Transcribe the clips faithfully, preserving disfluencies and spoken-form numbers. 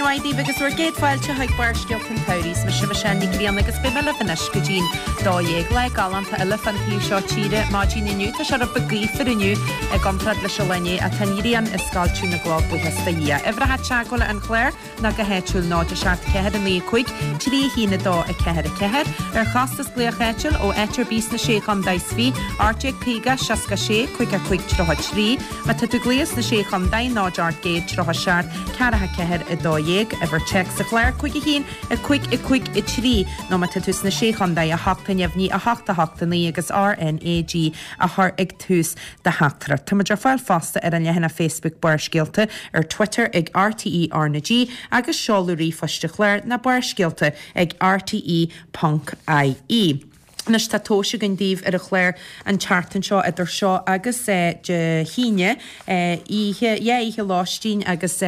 mhaith daoibh agus bhur gcéad fáilte chuig Barrscéalta an tSamhraidh. Is mise Michelle Ní Ghrianna agus beidh mé libh anois go dtí'n dó dhéag. Lá galánta eile fán taobh seo tíre maidin inniu. Tá sé rud beag gaofar inniu i gcomparáid leis an lá inné ach tá an ghrian ag scoilteadh na gcloch buíochas do Dhia. Uimhreacha teagmhála an chláir ná go háitiúil náid a seacht ceathair a naoi a cúig trí a haon a dó a ceathair a ceathair. Ar chostas glaoch áitiúil ó áit ar bith sna sé chontae is fiche, ocht déag caoga seasca sé cúig a cúig tríocha trí. Má tá tú ag glaoch sna sé chontae náid ocht gcéad tríocha seacht ceathracha ceathair a dó dhéag, uimhir téacs an chláir cúig a haon a cúig a cúig a trí nó má tá tú sna sé chontae a hocht a neamhní a hocht a hocht a naoi agus RNAG a chur ag tús do theachtaireacht. Táimid ar fáil fosta ar an leathanach Facebook Barrscéalta ar Twitter ag RTE RnaG agus seoladh ríomhphoist an chláir ná barrscéalta ag RTE ponc IE. Anois tá tomhais againn daoibh ar an chlár an tseachtain seo idir seo agus Dé hAoine, oíche, dhá oíche lóistín agus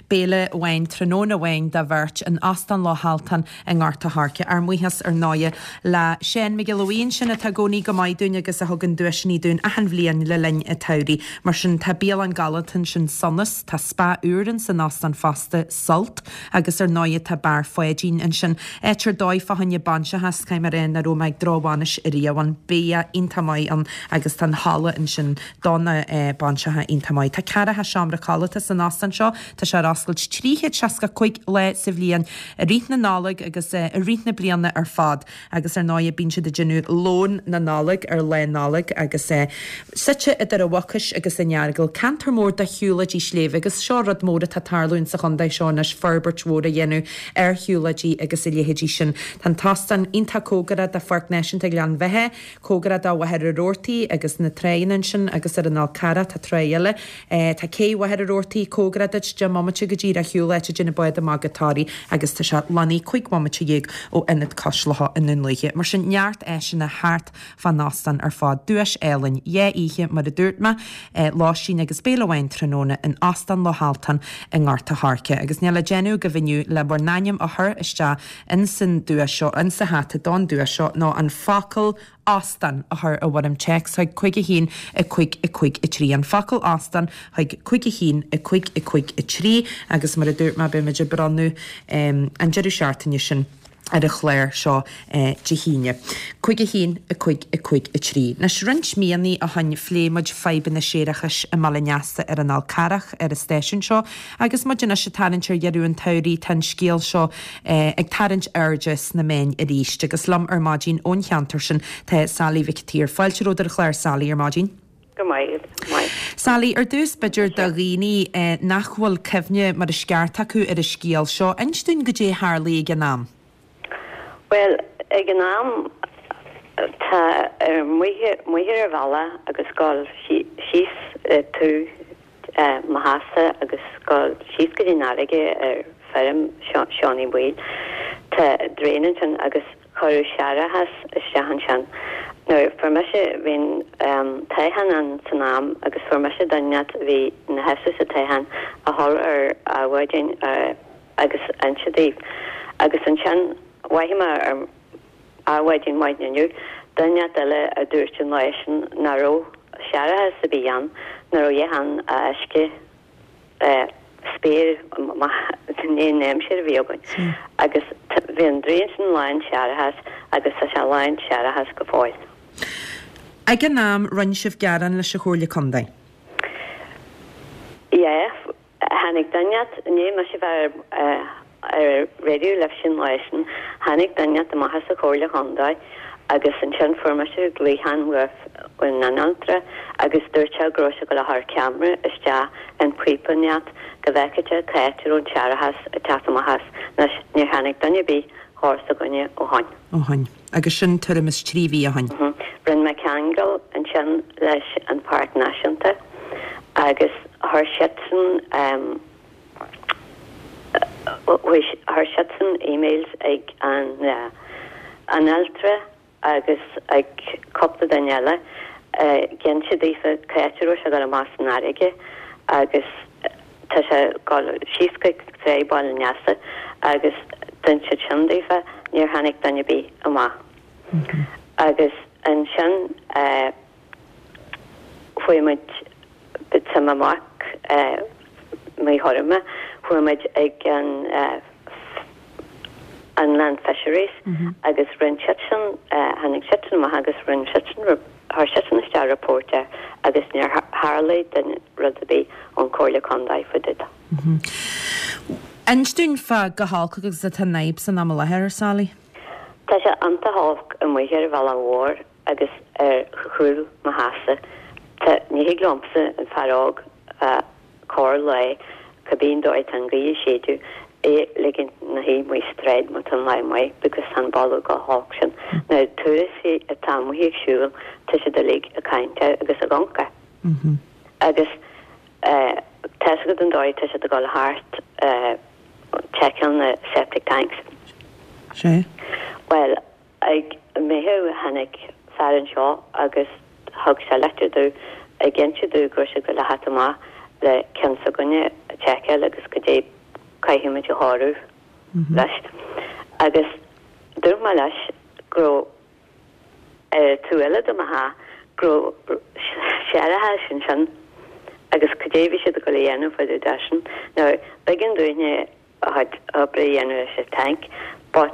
béile amháin tráthnóna amháin do bheirt in Óstán Loch Altan i nGort a' Choirce. Ár mbuíochas ar ndóighe le Seán Mac Giolla Bhuí ansin atá i gcónaí go maith dúinn agus a thugann duaiseanna dúinn achan bhliain le linn an tsamhraidh. Mar sin tá bialann galánta ansin Sonas, tá spa úr in san óstán fosta, Sult, agus ar ndóighe tá Beár Pháidín ansin. Áit ar dóigh fá choinne bainseacha, caithfidh mé a rá nach raibh mé ag drochbhainis ariamh ann. Bia iontach maith ann agus tá an halla ansin do na bainseacha iontach maith. Tá ceathracha seomra codlata san óstán seo, tá sé ar oscailt trí chéad seasca cúig lá sa bhliain i rith na Nollag agus i rith na bliana ar fad agus ar ndóighe bíonn siad ag déanamh lón na Nollag ar lá Nollag agus suite idir an Mhucais agus an Earagail, ceantar mór de shiúlóidí sléibhe agus seo rud mór atá ag tarlúint sa chontae seo anois, forbairt mhór a dhéanamh ar shiúlóidí agus a leithéidí sin. Tá an t-óstán iontach cóngarach do Pháirc Náisiúnta Ghleann Bheatha, cóngarach do Mhachaire Rabhartaigh agus na tráigheanna ansin agus ar an Fhál Carrach tá tráigh eile. Tá cé Mhachaire Rabhartaigh cóngarach duit, deich mbomaite go díreach ar shiúl áit a dtéann bád amach go Toraigh agus tá sé lonnaithe cúig bhomaite dhéag ó Ionad Cois Locha i nDún Lúiche. Mar sin neart áiseanna thart fán óstán ar fad. Duais álainn, dhá oíche mar a dúirt mé, lóistín agus béile amháin tráthnóna in Óstán Loch Altan i nGort a' Choirce. Agus níl le déanamh agaibh inniu le bhur n-ainm a chur isteach insan duais seo, insa hata don duais seo ná an focal óstán a chur i bhfoirm téacs chuig cúig a haon a cúig a cúig a trí. An focal óstán chuig cúig a haon a cúig a cúig a trí agus mar a dúirt mé beimid ag bronnadh an deireadh seachtaine sin ar an chlár seo Dé hAoine. Cúig a haon a cúig a cúig a trí. Anois roinnt míonna ó shin phléigh muid fadhbanna séarachais i mBaile an Easa ar an Fhál Carrach ar an stáisiún seo agus muid anois ag tarraingt ar dheireadh an tsamhraidh tá an scéal seo ag tarraingt airde sna meáin arís agus liom ar maidin ón cheantar sin tá Sally Mhic an tSaoir. Fáilte romhat ar an chlár Sally ar maidin. Go maith, go maith. Sally, ar dtús b'fhéidir do dhaoine nach bhfuil cuimhne mar is ceart acu ar an scéal seo, inis dúinn goidé a tharlaigh ag an am. Bhuel, ag an am tá ar Mhachaire Bhealach agus dul síos tú mo theachsa agus dul síos go dtí an fharraige ar feirm Seán Uí Bhaoill. Tá draein ansin agus cuireadh séarachas isteach ansin. Nuair fuair mise, bhí an toghchán ann san am agus fuair mise duine a bhí ina sheasamh sa toghchán a dhul ar Adhmhaidin agus inse daoibh. Agus ansin mhothaigh mé ar Adhmhaidin maidin inniu, duine eile a dúirt an lá sin nach raibh séarachas ar bith ann, nach raibh a dhath ann ach uisce spéir i ndiaidh an aimsir a bhí againn. Agus bhí an draein sin lán séarachas agus tá sé lán séarachas go fóill. Ag an am, rinne sibh gearán leis an Chomhairle Contae? Yeah. Tháinig duine i ndiaidh mise bheith ar ar raidió libhse an lá sin, tháinig duine amach as an Chomhairle Chontae agus ansin fuair mise glaochán ón mbanaltra agus dúirt sé go raibh sé ag dul a chur ceamara isteach in píopa inteacht go bhfeicfeadh sé cá háit a raibh an séarachas ag teacht amach as. Anois, níor tháinig duine ar bith thar s'againne ó shoin. Ó shoin. Agus sin tuairim is trí mhí ó shoin. Rinne mé ceangal ansin leis an Pháirc Náisiúnta agus chuir siadsan chuir siadsan emails ag an banaltra agus ag cúpla duine eile ag inse daofa cá háit a raibh sé ag dul amach san fharraige agus tá sé ag dul síos chuig Tráigh Bhaile an Easa agus d'inis siad sin daofa níor tháinig duine ar bith amach. Agus ansin chuaigh muid tá mo mhac Maigh Thorma, Chuaigh muid ag an Inland Fisheries agus rinne siadsan, tháinig siadsan amach agus rinne siadsan, chuir siadsan isteach report air agus níor tharlaigh duine rud ar bith ón Chomhairle Contae fá dtaobh de. Inis dúinn fá chomh holc agus atá an fhadhb san am i láthair, Sally. Tá sé iontach holc amuigh ar an bhealach mhór agus ar chúl mo theachsa. Tá, ní thig liomsa, an fear óg, corr lá, cibé an dóigh atá an ghaoth ag séideadh, é ligint 'na shuí amuigh sa tsráid má tá an lá maith because tá an boladh chomh holc sin. Na turasóirí atá amuigh ag siúl, tá siad uilig ag caint air agus ag amharc air. Agus tá's agat an dóigh tá siad ag dul thart tseiceáil na septic tanks. Sea. Bhuel, ag Meitheamh tháinig fear anseo agus thug sé litir domh ag inse domh go raibh sé ag dul a theacht amach le ceann s'againne a tseiceáil agus goidé caithfidh muid a chóiriú leis. Agus dúirt mé leis go raibh ar an taobh eile de mo theach go raibh séarachas ansin agus goidé bhí siad ag dul a dhéanamh fá dtaobh de sin. Now, b'éigean dúinne a chuid oibre a dhéanamh leis an tank but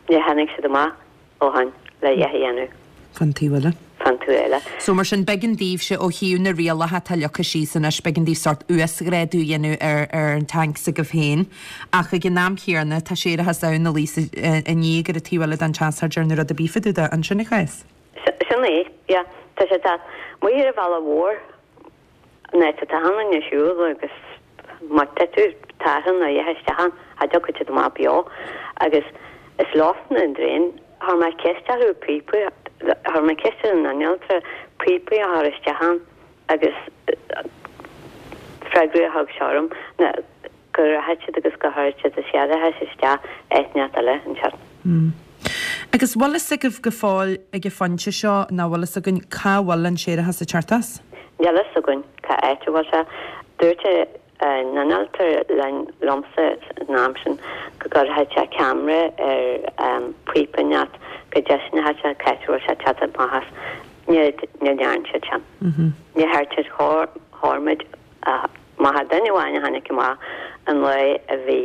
níor tháinig siad amach ó shin le a dhath a dhéanamh. Fan taobh eile. Fan taobh eile. So mar sin b'éigean daoibhse ó thaobh na rialacha atá leagtha síos anois, b'éigean daoibh sórt uasghrádú a dhéanamh ar ar an tank s'agaibh féin. Ach ag an am chéanna tá séarachas ann a luíos i ndiaidh ar an taobh eile den teach char dearnadh rud ar bith fá dtaobh de, an sin an cás? Sin é, yeah. Tá sé tá amuigh ar an bhealach mhór an áit atá achan duine ag siúl agus má tá tú tartha nó a isteach ann, cha dtiocfaidh siad amach beo agus is leosan an draein. Chuir mé ceist orthu píopaí, chuir mé ceist ar an innealtóir píopaí a chur isteach ann agus freagra a thug sé orm ná go rachaidh siad agus go gcuirfidh siad an séarachas isteach áit inteacht eile ansin. Agus bhfuil fhios agaibh go fóill ag an phointe seo nó bhfuil fhios againn cá bhfuil an séarachas ag teacht as? Níl fhios againn cá áit a bhfuil sé. Dúirt an innealtóir linn, liomsa san am sin go gcuirfeadh sé ceamara ar phíopa inteacht go dtaispeánfadh sé cá háit a bhfuil sé ag teacht amach as. Ní ní dhearn siad sin. Ní chuir siad chuir muid amach duine amháin a tháinig amach an lá a bhí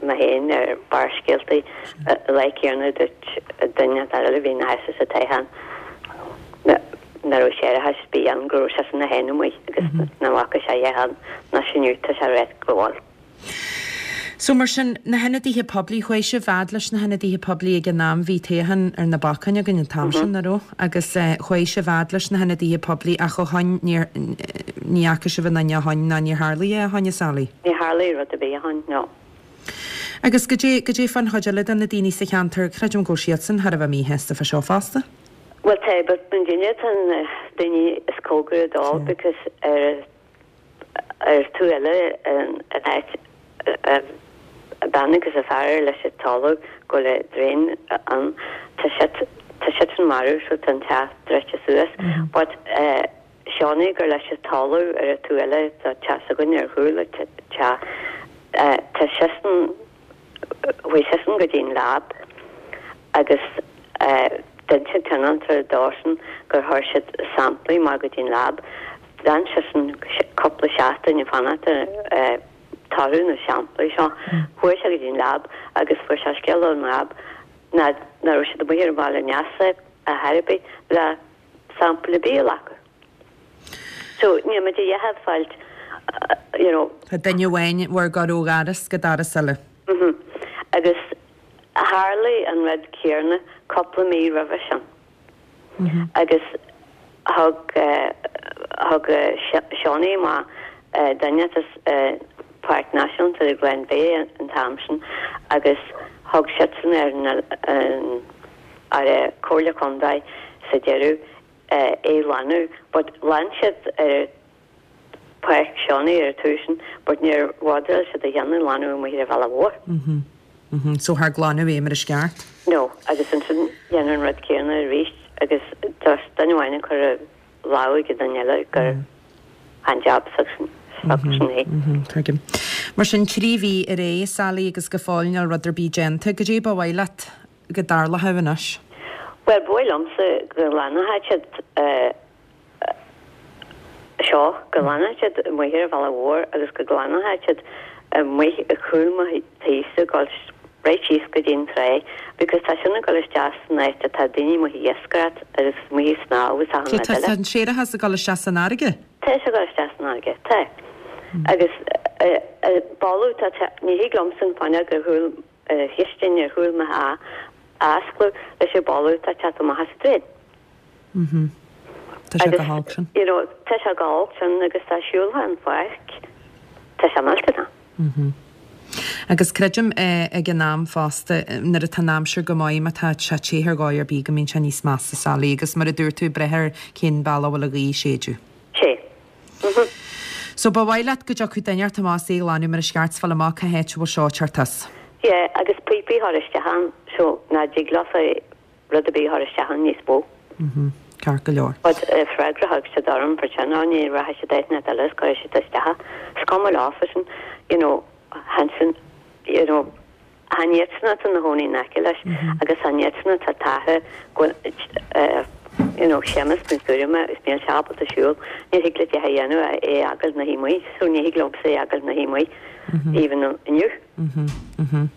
mé féin ar Barrscéalta an lá céanna dúirt duine eile a bhí ina sheasamh sa toghchán nach raibh séarachas ar bith ann go raibh seisean é féin amuigh agus nach bhfaca sé a dhath ann ná sin inniu tá sé réidh go bhfuil. So mar sin, na hionadaithe poiblí, chuaigh sibh fhad leis na hionadaithe poiblí ag an am, bhí toghchán ar na bacáin againn an t-am sin, nach raibh? Agus chuaigh sibh fhad leis na hionadaithe poiblí ach ó shoin níor, ní fhaca sibh aon duine ó shoin ná níor tharlaigh é ó shoin, a Sally? Níor tharlaigh rud ar bith ó shoin, no. Agus goidé, goidé fán chuid eile de na daoine sa cheantar, creidim go bhfuil siadsan thar a bheith míshásta fá seo fosta? Bhuel tá, but muidinne atá na daoine is cóngaraí dó because ar ar taobh eile an áit an bean agus a fear leis an talamh go bhfuil an draein ann tá siad tá siadsan marbh so tá an teach druidte suas but Seánie gur leis an talamh ar an taobh eile tá teach s'againne ar chúl an teach tá seisean chuaigh seisean go dtí an lab agus d'inis an t-innealtóir dósan gur chuir siad samplaí amach go dtí an lab. D'fhan seisean cúpla seachtain ag fanacht ar toradh na samplaí seo. Chuaigh sé go dtí an lab agus fuair sé scéala ón lab nach raibh siad amuigh ar an Bhaile Neasa ar chor ar bith le sampla ar bith a ghlacadh. So níl muid a dhath ag fáilt you know. Tá duine amháin bhur gcur ó dhoras go doras eile. Mhm. Agus tharlaigh an rud céanna cúpla mí roimhe sin. Agus thug thug Seánie amach duine as Páirc Náisiúnta Glenveagh an t-am sin agus thug siadsan ar an ar an Comhairle Contae sa deireadh é a ghlanadh but ghlan siad ar Páirc Seánie ar an taobh sin but níor bhodaráil siad a dhéanamh glanadh amuigh ar an bhealach mhór. Mhm. Mhm. So char glanadh é mar is ceart? No, agus ansin dhéanadh an rud céanna arís agus just duine amháin ag cur a lámh ag an duine eile gur an jab s'agasan s'agasan é. Mhm, tuigim. Mar sin trí mhí ar aghaidh, Sally, agus go fóill níl rud ar bith déanta. Goidé ba mhaith leat go dtarlódh anois? Bhuel, ba mhaith liomsa go nglanfadh siad seo go nglanfaidh siad amuigh ar an bhealach mhór agus go nglanfaidh siad amuigh ar chúl mo thíse gul right síos go dtí an trá because tá sin ag dul isteach san áit atá daoine amuigh ag iascaireacht agus amuigh ag snámh agus achan So rud tá eile. an séarachas ag dul isteach san fharraige? Tá sé ag dul isteach san fharraige, tá. Agus boladh tá te ní thig liomsa an fuinneog ar chúl chistin ar chúl mo theach a oscladh leis an boladh atá ag teacht amach as an draein. Mhm. Tá sé go holc sin. You know, tá sé go holc sin agus tá siúltha an pháirc tá sé millteanach. Mhm. Agus creidim eh, ag an am fosta nuair atá an aimsir go maith má tá sé te ar dhóigh ar bith go mbíonn sé níos measa Sally agus mar a dúirt tú breith ar cén bealach bhfuil an ghaoth ag séideadh. Sé. Mhm. So ba mhaith leat go dtiocfadh duine inteacht amach é a ghlanadh mar is ceart is fáil amach cá háit a bhfuil seo ag teacht as. Yeah, agus píopaí a chur isteach ann so ná dtig leofa rud ar bith a chur isteach ann níos mó. Mhm. Ceart go leor. But uh, freagra thug siad orm for sin ní rachaidh siad áit eile is cuirfidh siad isteach. Is cuma leofa sin, you know, Hansen, you know, chan iadsan atá ina gcónaí in aice leis agus chan iadsan atá tarraingthe go uh, you know, Séamus na tuairime is níl sé ábalta siúl, ní thig le a dhéanamh é a fhágáil ina shuí amuigh, so ní thig liomsa é a fhágáil ina shuí amuigh even inniu. Mhm. Mhm.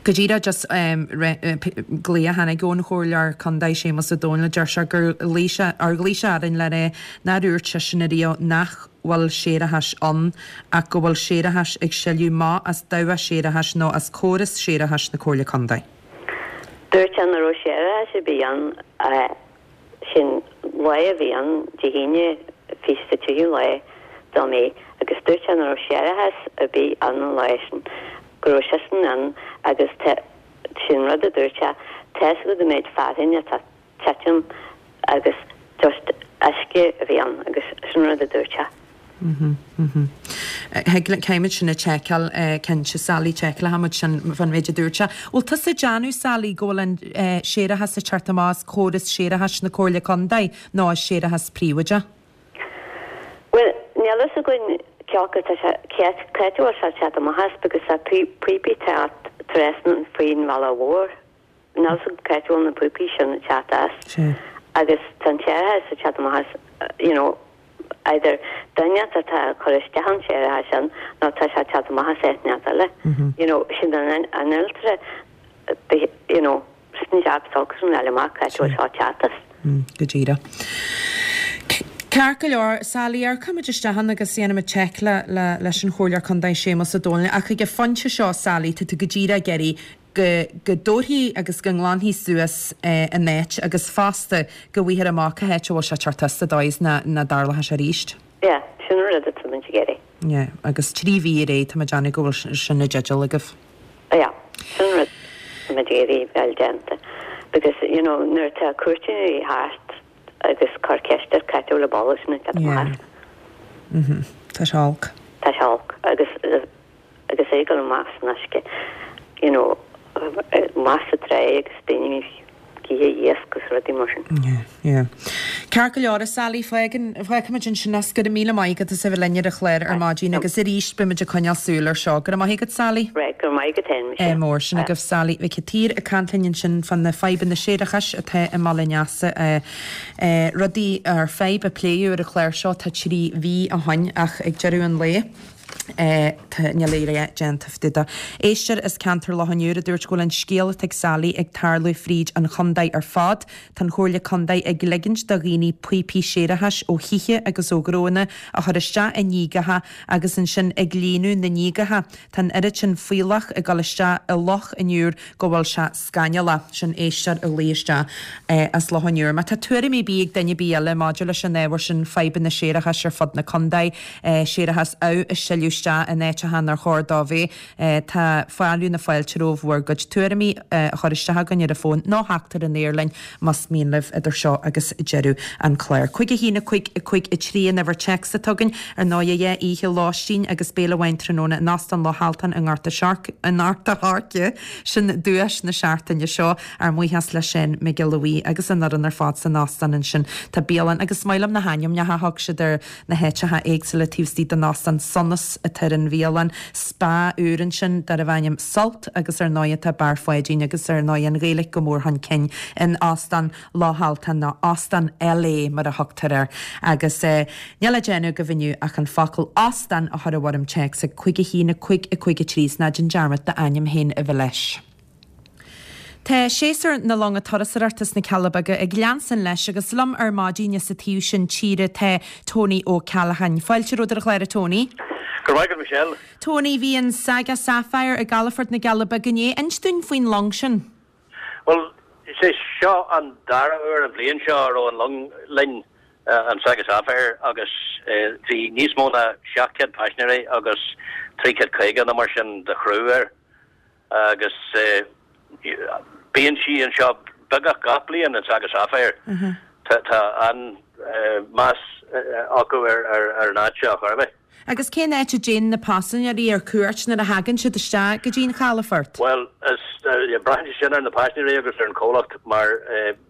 Go díreach just um, glao a tháinig ón chomhairleoir contae Séamus Ó Dónaill deir sé gur ghlaoigh sé ar ghlaoigh sé orainn le rá nár dhúirt seisean ariamh nach bhfuil séarachas ann ach go bhfuil séarachas ag sileadh amach as dabhach séarachais nó as córas séarachais na Comhairle Contae. Dúirt sé nach raibh séarachas ar bith ann sin lá a bhí ann Dé hAoine fiche tríú lá de Mhí agus dúirt sé nach raibh séarachas ar bith ann an lá sin go raibh seisean ann agus sin rud a dúirt sé tá a fhios agat an méid fearthainne atá titim agus just uisce a bhí ann agus sin rud a dúirt sé. Mhm, mhm. Caithfimid sin a sheiceáil cinnte Sally seiceálfaimid sin fan méid a dúirt sé. Bhfuil tusa ag déanamh Sally go bhfuil an séarachas ag teacht amach as córas séarachais na Comhairle Contae nó as séarachas príobháideach? Well, níl a fhios againn ceacha tá sé sé teacht amach as because tá píopaí trasna faoin bhealach mhór. Níl a fhios cá bhfuil na píopaí sin teacht as. Agus tá an séarachas ag teacht amach as you know, either duine atá chur isteach an séarachas sin nó tá sé teacht amach as áit eile. You know, sin an an ultra you know, sin jab san eile amach cá bhfuil sé teacht as. Go díreach. Ceart go leor Sally amharcfaimid isteach ann agus déanfaimid check le le leis an chomhairleoir contae Séamus Ó Dónaill ach ag an phointe seo Sally tá tú go díreach ag iarraidh go go dtabharfaí agus go nglanfaí suas eh, an áit agus fosta go bhfaighfear amach cá háit a bhfuil sé ag teacht as sa dóigh is nach nach dtarlóidh sé arís. Yeah, sin rud atá muid ag iarraidh. Yeah, agus trí mhí ar é tá muid ag déanamh go bhfuil sin i dteideal agaibh. Yeah, sin rud atá muid ag iarraidh bheith déanta. Because you know, nuair tá cuairteoirí thart agus cur ceist ar cá bhfuil an boladh sin ag teacht amach. Mhm. Tá sé olc. Tá sé olc agus agus é ag dul amach san uisce you know, amach sa trá agus daoine ag ithe iasc agus rudaí mar sin. Yeah, yeah. Ceart go leor Sally fágann fágfaimid ansin as go raibh míle maith agat as a bheith linn ar an chlár ar maidin agus arís beimid ag coinneáil súil ar seo. Go raibh maith agat Sally. Right, go raibh maith agat féin, É Michelle. mór sin agaibh Sally Mhic an tSaoir ag caint linn ansin fan na fadhbanna séarachais atá i mBaile an Easa eh, rudaí ar fadhb a pléadh ar an chlár seo tá trí mhí ó shin ach ag deireadh an lae. Eh, tá níl aon déanta de. Éisteoir as ceantar Loch an Iúir a dúirt go bhfuil an scéal atá ag Sally ag tarlú fríd an chontae ar fad, Tá an Chomhairle Contae ag ligint do dhaoine píopaí séarachais ó thithe agus ó ghnónna a chur isteach i ndíogacha agus ansin ag líonadh na ndíogacha. Tá an oiread sin fuílleach ag dul isteach i Loch an Iúir go bhfuil sé scannalach sin éisteoir a ghlaoigh isteach eh, as Loch an Iúir. Má tá tuairimí bí ag duine bí eile maidir leis an ábhar sin fadhbanna séarachais ar fud na contae, eh, séarachas amh is sileadh isteach in áiteacha nár chóir dó bheith eh, tá fearadh na fáilte romhaibh bhur gcuid tuairimí eh, a chur isteach againn ar an bhfón nó theacht ar an aer linn más mian libh idir seo agus deireadh an chláir. Cúig a haon a cúig a cúig a trí an uimhir téacs atá againn ar ndóigh dhá oíche lóistín agus béile amháin tráthnóna in Óstán Loch Altan i nGort an Ghort an Choirce sin duais na seachtaine seo ár mbuíochas le sin Miguel Louis agus an fhoireann ar fad san óstán ansin Tá bialann agus maith liom na hainmneacha a thug siad ar na háiteacha éagsúla taobh istigh den óstán Sonas atá ar an bhialann, spa úr ansin darbh ainm Sult agus ar ndóigh tá Beár Pháidín agus ar ndóigh an Ghaeilge go mór chun cinn in Óstán Loch Altan nó Óstán LA mar a thugtar air. Agus níl le déanamh agaibh inniu ach an focal óstán a chur i bhfoirm téacs ag cúig a haon a cúig a cúig a trí is ná déan dearmad d'ainm féin a bheith leis. Tá séasúr na longa turasóireachta sna Cealla Beaga ag leanstan leis agus liom ar maidin sa taobh sin tíre tá Tony Ó Ceallacháin. Fáilte romhat ar an chlár a Tony. Go raibh maith agat Michelle. Tony, bhí an Saga Sapphire i gcalafort na gCealla Beaga inné. Inis dúinn faoin long sin. Bhuel, is é seo an dara huair an bhliain seo a raibh an long linn, an Saga Sapphire, agus bhí níos mó ná seacht gcéad paisinéirí agus trí chéad caoga nó mar sin de chriú air. Agus bíonn sí anseo beagnach gach bliain, an Saga Sapphire. Tá an-mheas acu ar an áit seo, chor ar bith. Agus cén áit a dtéann na paisinéirí ar cuairt nuair a thagann siad isteach go dtí an chalafort? Bhuel, braitheann sé sin ar na paisinéirí agus ar an chomhlacht mar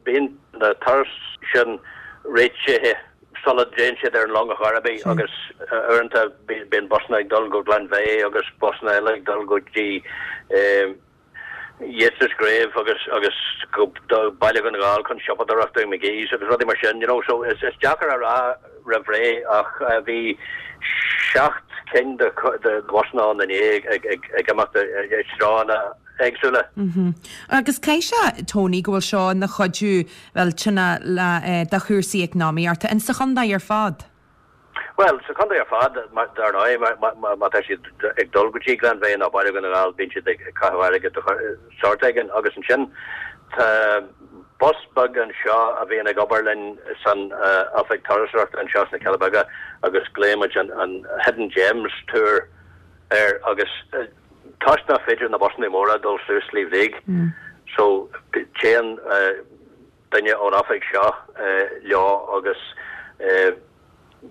bíonn na turais sin réitithe sula dtéann siad ar an long ar chor ar bith agus uaireanta bíonn busanna ag dul go Glenveagh agus busanna eile ag dul go dtí Yeats's Grave agus agus go Baile Dhún na nGall chun siopadóireachta i McGee's agus rudaí mar sin, you know, so is is deacair a rá roimh ré ach bhí seacht cinn de de bhusanna ann inné ag ag ag imeacht i dtreonna éagsúla. Agus caithfidh sé, Tony, go bhfuil seo ina chuidiú, bhuel, tine le do chúrsaí eacnamaíochta in sa chontae ar fad? Bhuel, sa chontae ar fad, dar ndóigh, má tá siad ag dul go dtí Glenveagh nó Baile Dhún na nGall, bíonn siad ag caitheamh airgid de shórt éigin. Agus ansin tá bus beag anseo a bhíonn ag obair linn san oifig turasóireachta anseo sna Cealla Beaga agus glaoimid an Hidden Gems Tour air agus toisc nach féidir na busanna móra dul suas Sliabh Liag so téann duine ón oifig seo leo agus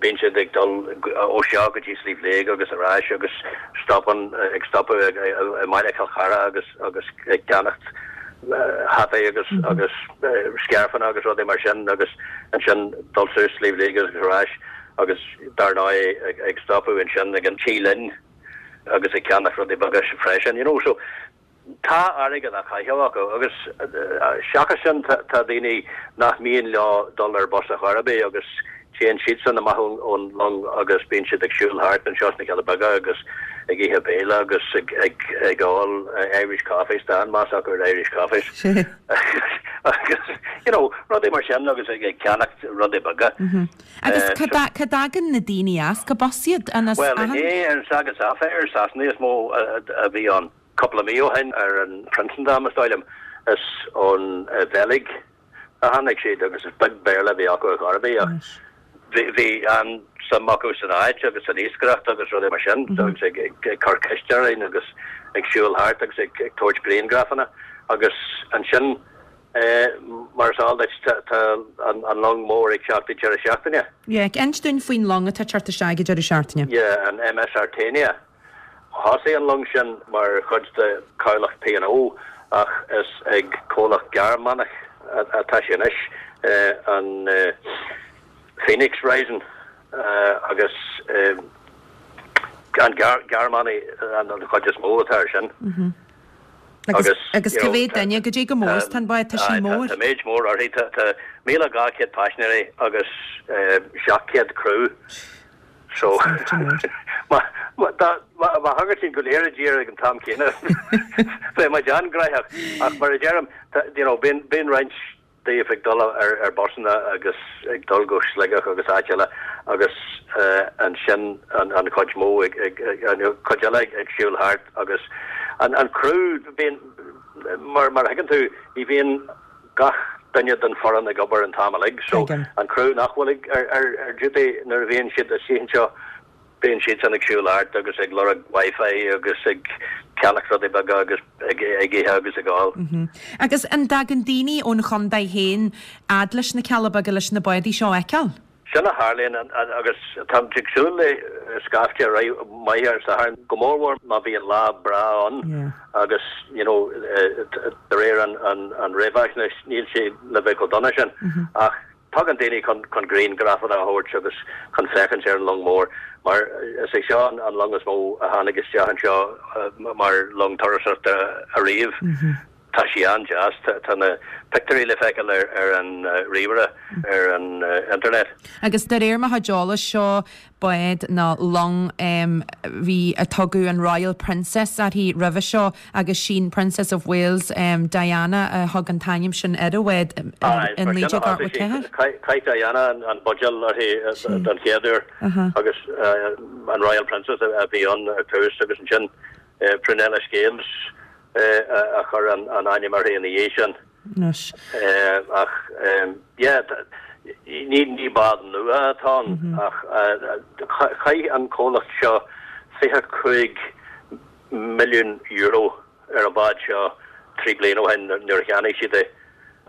bíonn siad ag dul ó seo go dtí Sliabh Liag agus ar ais agus stopann, ag stopadh i mbaile Chill Chartha agus agus ag ceannacht hataí agus agus scairfeanna agus rudaí mar sin agus ansin dul suas Sliabh Liag agus ar ais agus dar ndóigh ag stopadh ansin ag an Tí Linn agus ag ceannach rudaí beaga freisin, you know. So Tá airgead á chaitheamh acu agus seachas sin tá daoine nach mian leo dul ar bus ar chor ar bith agus téann siadsan amach ón long agus bíonn siad ag siúl thart anseo sna Cealla Beaga agus ag ithe béile agus ag ól Irish coffees, tá an-mheas acu ar Irish coffees agus you know rudaí mar sin agus ag ceannacht rudaí beaga. Agus cá dtagann na daoine as? Cad as iad? Bhuel inné ar an Saga Sapphire, Sasanaigh is mó a bhí ann. Cúpla mí ó shin ar an Prinsendam, is dóigh liom, is ón Bheilg a tháinig siad agus is beag Béarla a bhí acu ar chor ar bith ach bhí an-suim acu san áit agus san iascaireacht agus rudaí mar sin agus ag cur ceiste orainn agus ag siúl thart agus ag tabhairt grianghrafanna agus ansin mar is eol duit tá an long mór ag teacht ag deireadh seachtaine. Yeah, inis dúinn faoin long atá ag teacht isteach ag deireadh seachtaine. Yeah, an MS Artania. Thosaigh an long sin mar chuid de chabhlach P and O ach is ag comhlacht Gearmánach atá sé anois, an Phoenix Reisen, agus an Gearmánaigh an chuid is mó atá air sin. Agus agus cá mhéad duine, goidé chomh mór is atá an bád, tá sí mór. Tá méid mór uirthi, tá míle dhá chéad paisinéirí agus seacht gcéad criú. So, má thagann siad go léir i dtír ag an t-am céanna, beidh muid an-ghnóthach. Ach mar a deirim, you know, bíonn, bíonn roinnt díobh ag dul ar, ar busanna agus ag dul go Sligeach agus áit eile agus ansin an, an chuid mó ag, ag, an chuid eile ag, ag siúl thart agus an, an criú, bíonn, mar, mar a thuigeann tú, ní bhíonn gach duine den foireann ag obair an t-am uilig so an criú nach bhfuil ag ar ar ar duty nuair a bhíonn siad istigh anseo bíonn siadsan ag siúl thart agus ag lorg wifi agus ag ceannach rudaí beaga agus ag ag ithe agus ag ól. Agus an dtagann daoine ón chontae féin fhad leis na Cealla Beaga leis na bádaí seo a fheiceáil? Sin a tharlaíonn agus táimid ag súil le scaifte maith ar an Satharn, go mórmhór má bhíonn lá breá ann agus you know de réir an réamhaisnéis níl sé le bheith chomh dona sin ach Tagann daoine chun chun grianghrafanna a thabhairt agus chun féachaint ar an long mór mar is é seo an long is mó a tháinig isteach anseo mar long turasóireachta ariamh. Tá sí an-deas, tá na pictiúirí le feiceáil ar ar an ríomhaire ar an internet. Agus de réir mo chuid eolais seo bád nó long bhí a tugadh an Royal Princess uirthi roimhe seo agus sin Princess of Wales Diana a thug an t-ainm sin ar an bhád in naoi déag ochtó a ceathair. Chaith Diana an buidéal uirthi don chéad uair agus an Royal Princess a bhí ann ar tús agus ansin Prunella Scales a chuir an ainm uirthi ina dhiaidh sin. Anois. Ach yeah, ní ní bád nua atá ann ach chaith an comhlacht seo fiche cúig milliún euro ar an bád seo trí bliana ó shin nuair a cheannaigh siad é.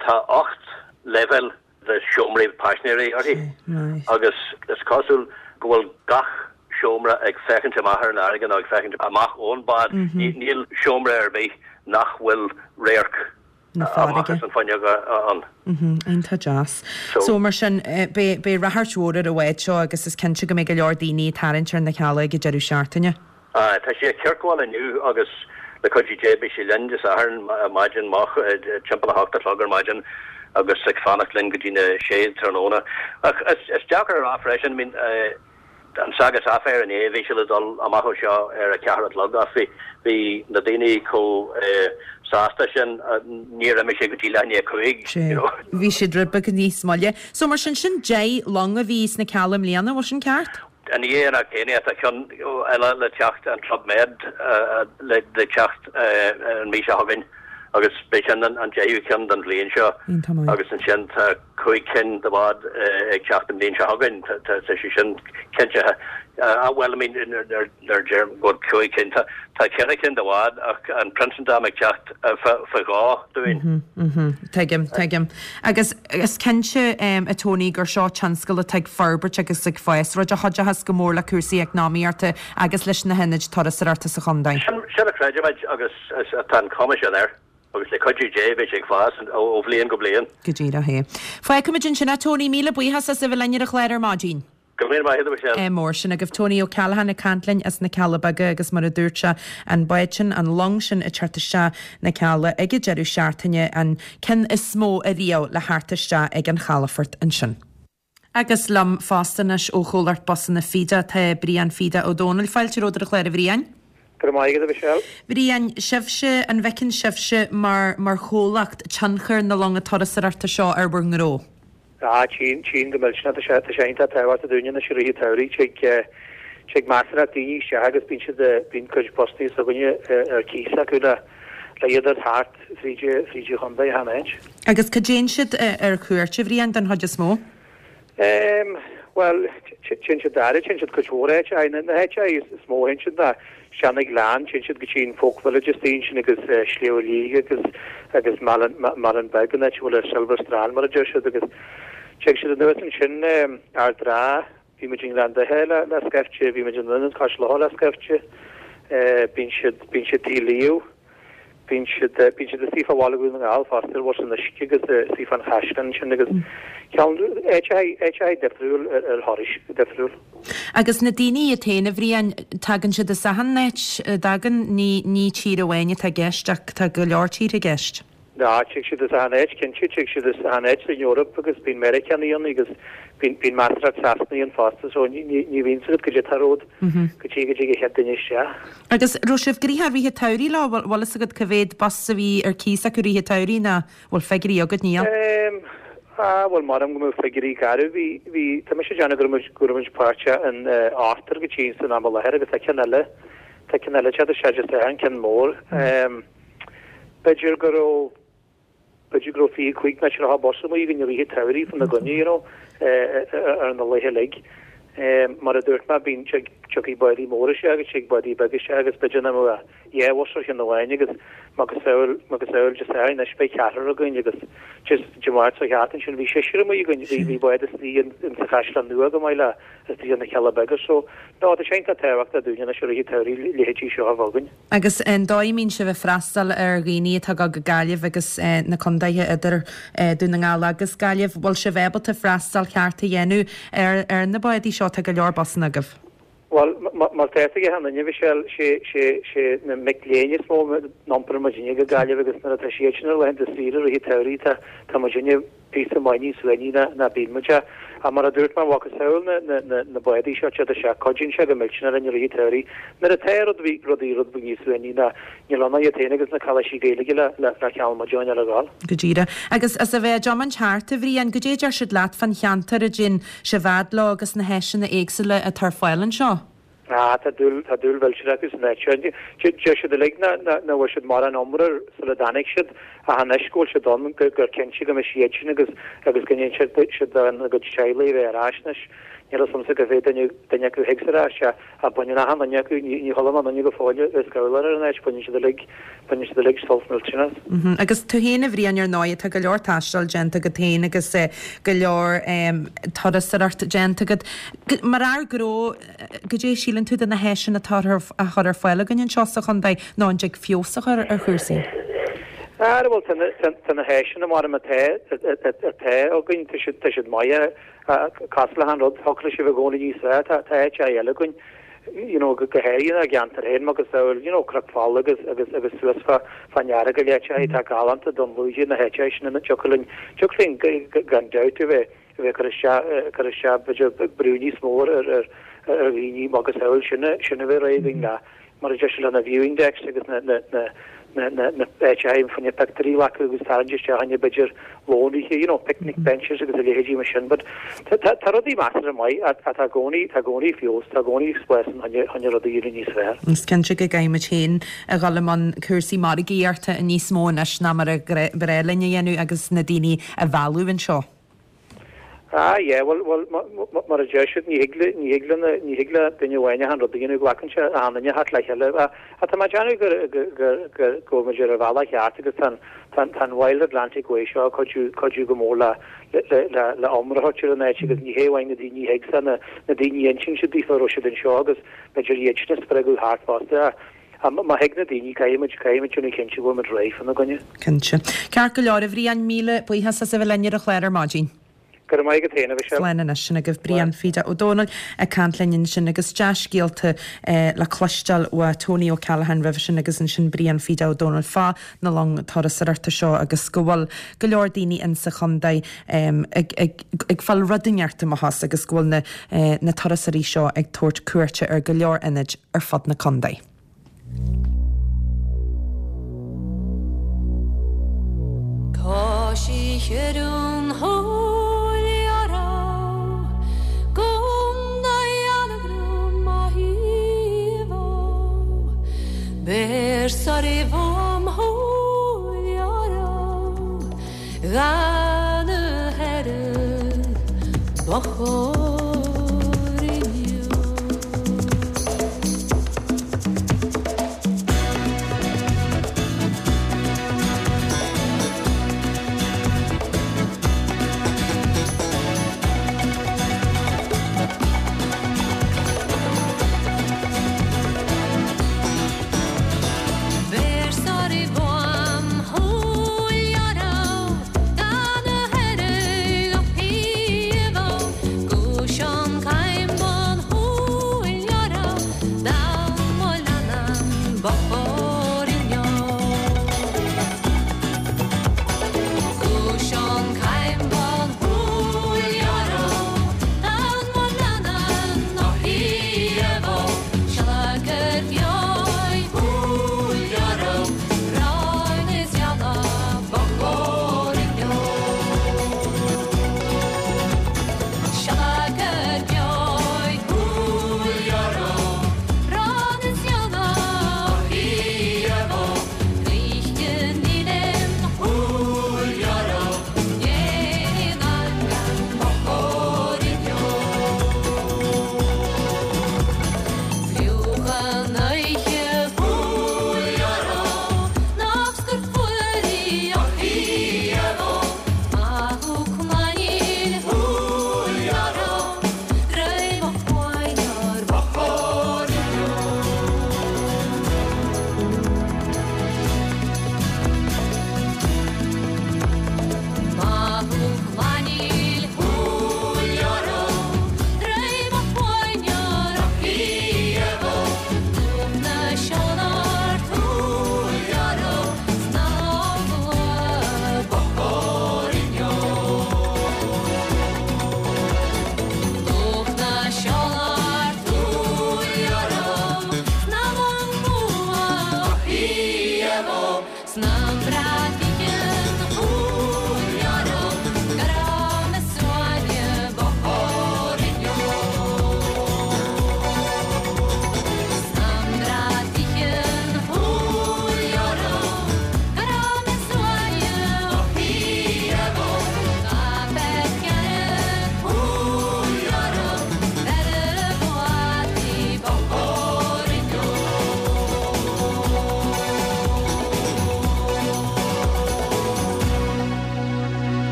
Tá ocht leibhéal de seomraí paisinéirí uirthi agus is cosúil go bhfuil gach seomra ag féachaint amach ar an fharraige nó ag féachaint amach ón bád. Níl seomra ar bith nach bhfuil radharc amach as an bhfuinneog ann. Iontach deas. So mar sin, beidh ráchairt mhór ar an bhád seo agus is cinnte go mbeidh go leor daoine ag tarraingt ar na Cealla ag an deireadh seachtaine. Aye, tá sí ag ciorcláil inniu agus le cuidiú Dé beidh sí linn Dé Sathairn maidin moch, timpeall a hocht a chlog ar maidin agus ag fanacht linn go dtí na sé tráthnóna. Ach is deacair a rá freisin, I mean, an Saga Sapphire inné, bhí sé le dul amach ó seo ar a ceathair a chlog ach bhí bhí na daoine chomh sásta sin níor imigh sé go dtí leath i ndiaidh a cúig, you know. Bhí siad rud beag níos moille. So mar sin, sin deich long a bhí sna Cealla i mbliana, bhfuil sin ceart? I ndiaidh an Artania tá ceann eile le teacht, an Club Med le teacht an mhí seo chugainn agus beidh sin an deichiú ceann don bhliain seo agus ansin tá cúig cinn de bháid ag teacht an bhliain seo chugainn, tá sé sin cinntithe. Ah bhuel, I mean, nuair a deirim go bhfuil cúig cinn, tá ceithre cinn de bháid ach an Prinsendam ag teacht faoi dhó dúinn. Tuigim, tuigim. Agus is cinnte, a Tony, gur seo tionscal atá ag forbairt agus ag fás, rud a chuideochas go mór le cúrsaí eacnamaíochta agus leis na hionaid turasóireachta sa chontae. Sin a chreidimid agus tá an chuma sin air. Agus le cuidiú Dé beidh sé ag fás ó bhliain go bliain. Go díreach é. Fágfaimid ansin é, Tony. Míle buíochas as a bheith linn ar an chlár ar maidin. Go raibh míle maith agat, a Mhichelle. Ádh mór. Sin agaibh Tony O'Callaghan ag caint linn as na Cealla Beaga agus mar a dúirt sé, an bád sin, an long sin ag teacht isteach na Cealla ag an deireadh seachtaine, an ceann is mó ariamh le theacht isteach ag an chalafort ansin. Agus liom fosta anois ó chomhlacht busanna Fida tá Brian Fida Ó Dónaill. Fáilte romhat ar an chlár, a Bhriain. Go raibh maith agat, a Mhichelle. Bhriain, sibhse, an bhfeiceann sibhse mar mar chomhlacht tionchar na longa turasóireachta seo ar bhur ngnó? Ah, tchíonn, tchíonn go millteanach. Tá sé, tá sé iontach tábhachtach dúinne anois i rith an tsamhraidh. Tig, tig measartha daoine isteach agus bíonn siad, bíonn cuid busanna s'againne ar cíos acu le, le iad a thabhairt thart fríd, fríd an chontae achan áit. Agus cá dtéann siad ar cuairt, a Bhriain, den chuid is mó? Em, bhuel, téann siad dáiríre, téann siad cuid mhór áiteacha. Na háiteacha is mó a théann siad ná isteach na Gleann, téann siad go dtí an Folk Village istigh ansin agus Sliabh Liag agus agus Malin, Malin Beag, an áit a bhfuil an Silver Strand mar a deir siad agus tig siad anuas ansin, Ard an Rátha, bhí muid i nGleann Dubhthaigh le le scaifte, bhí muid i nDún Cois Locha le scaifte, bíonn siad, bíonn siad Tigh Leo. Bíonn siad, bíonn siad istigh fá Bhaile Dhún na nGall fosta, ar bhus an uisce agus istigh fán chaisleán ansin agus ceann, áiteacha, áiteacha difriúil ar, ar thurais difriúil. Agus na daoine iad féin, a Bhriain, tagann siad as achan áit a dtagann, ní, ní tír amháin atá i gceist ach tá go leor tíortha i gceist. Ná, tig siad as achan áit, cinnte, tig siad as achan áit san Eoraip agus bíonn Meiriceánaigh ann agus bíonn, bíonn measartha Sasanaigh ann fosta so ní, ní, ní bhíonn 's agat goidé atá romhat go dtí go dtig an chéad duine isteach. Agus raibh sibh gnoitheach i rith an tsamhraidh leo, bhfuil, bhfuil fhios agat cá mhéad bus a bhí ar cíos acu i rith an tsamhraidh ná bhfuil figiúirí agat, níl? Ehm, ah, bhuel, maram go mbeadh figiúirí garbh, bhí, bhí, tá mise ag déanamh go raibh muid, go raibh muid páirteach in eh, ochtar go dtí san am i láthair agus tá ceann eile, tá ceann eile ag teacht isteach Dé Sathairn, ceann mór. Ehm, B'fhéidir go raibh, b'fhéidir go raibh fiche cúig nó tríocha bus amuigh againn i rith an tsamhraidh fá na gcoinne, you know, ar na laetha uilig. Mar a dúirt mé, bíonn, tig, Tiocfaidh bádaí móra isteach agus tig bádaí beaga isteach agus b'fhéidir nach mbeadh dhá bhus ar cheann amháin agus macasamhail macasamhail Dé Sathairn anois beidh ceathrar againn agus just Dé Máirt seo thart ansin bhí seisear amuigh againn bhí bhí bád istigh in in sa Chaisleán Nua go maith le istigh in na Cealla Beaga so no tá sé iontach tábhachtach dúinne anois i rith an tsamhraidh leithéidí seo a bheith againn. Agus an dóigh a mbíonn sibh ag freastal ar dhaoine atá ag dul go Gaillimh agus na condaetha idir Dún na nGall agus Gaillimh, bhfuil sibh ábalta freastal ceart a dhéanamh ar ar na bádaí seo? Tá go leor busanna agaibh. Bhuel, mar tá a fhios ag achan duine, Michelle, sé sé sé na mic léinn is mó a n-iomparann muidinne go Gaillimh agus nuair atá siad sin ar laethanta saoire i rith an tsamhraidh tá tá muidinne píosa maith níos uaigní ná ná bíonn muid. Ach mar a dúirt mé, macasamhail na na na na bádaí seo téad isteach, cuidíonn sé go millteanach linn i rith an tsamhraidh. Nuair atá rudaí rudaí rud beag níos uaigní ná níl ann ach iad féin agus na cailíní Gaeilge le le le ceann muid ar a ghabháil. Go díreach. Agus as a bheith ag tiomáint thart, a Bhriain, goidé a deir siad leat fán cheantar a dtéann sibh fhad leo agus na háiseanna éagsúla atá ar fáil anseo? Ah, tá dúil tá dúil mhillteanach acu san áit seo. Deir siad uilig nach nach bhfuair siad mórán iomrá sula dtáinig siad ach anois go bhfuil siad ann gur gur cinnte go mbeidh siad sin agus agus go ndéanfaidh siad siad a gcuid teaghlaigh a bheith ar ais anois. Níl a fhios agamsa cá mhéad duine duine acu a thig ar ais ach baineann achan duine acu, ní ní chuala mé duine go fóill ag scamhladh ar an áit, baineann siad uilig baineann siad uilig sult millteanach as. Agus tú féin a Bhriain ar ndóigh, tá go leor taistil déanta agat féin agus go leor turasóireacht déanta agat. Mar fhear gnó, goidé a síleann tú de na háiseanna atá á chur ar fáil againn anseo sa chontae nó an dtig feabhas a chur ar chúrsaí? Ara bhuel tá na tá na háiseanna mar atá atá againn tá siad tá siad maith cosúil le achan rud thiocfadh leis a bheith i gcónaí níos fearr tá tá áit eile againn you know go go háirithe inár gceantar féin macasamhail you know Cnoc Fola agus agus agus suas fá fán Earagail áit atá galánta Dún Lúiche na háite sin ina dtiocfadh linn tiocfadh linn gan dabht a bheith a bheith cur isteach cur isteach b'fhéidir brú níos mó ar ar ar dhaoine macasamhail sin sin a bheith réidh againn le mar a deir siad le na viewing decks agus na na na na na na áiteacha fá choinne pictiúirí a ghlacadh agus tarraingt isteach fá choinne b'fhéidir lón oíche, you know, picnic benches agus a leithéidí mar sin. But tá tá tá rudaí measartha maith ach tá i gcónaí tá i gcónaí feabhas, tá i gcónaí spás ann fá choinne rudaí a dhéanamh níos fearr. Is cinnte go gcaithfidh muid féin a dhul i mbun cúrsaí margaíochta níos mó anois ná mar a ba ghnách linn a dhéanamh agus na daoine a mhealladh anseo. Ah yeah, bhuel, bhuel, mar a deir siad, ní thig le, ní thig le, ní thig le duine amháin achan rud a dhéanamh, glacann sé achan duine thart le chéile. Ach tá mé ag déanamh gur, gur, gur, gur, go bhfuil muid ar an bhealach cheart agus tá an, tá an, tá an Wild Atlantic Way seo ag cuidiú, cuidiú go mór le, le, le, le, le iomrá a thabhairt ar an áit agus ní hé amháin na daoine a thig, na, na daoine a insíonn siad daofa a raibh siad anseo agus b'fhéidir iad sin a spreagadh thart fosta. Ach má thig na daoine, caithfidh muid, caithfidh muid déanamh cinnte go bhfuil muid réidh fána gcoinne. Cinnte. Ceart go leor, a Bhriain, míle buíochas as a bheith linn ar an chlár ar maidin. Go raibh maith agat féin, a Mhichelle. Slán anois, sin agaibh Brian Pheda Ó Dónaill ag caint linn ansin agus dea-scéalta le cloisteáil ó Tony O'Callaghan roimhe sin agus ansin Brian Pheda Ó Dónaill fá na long turasóireachta seo agus go bhfuil go leor daoine insa chontae ag ag ag fáil rud inteacht amach as agus go bhfuil na na turasóirí seo ag tabhairt cuairte ar go leor ionaid ar fud na contae. Tá sí ar an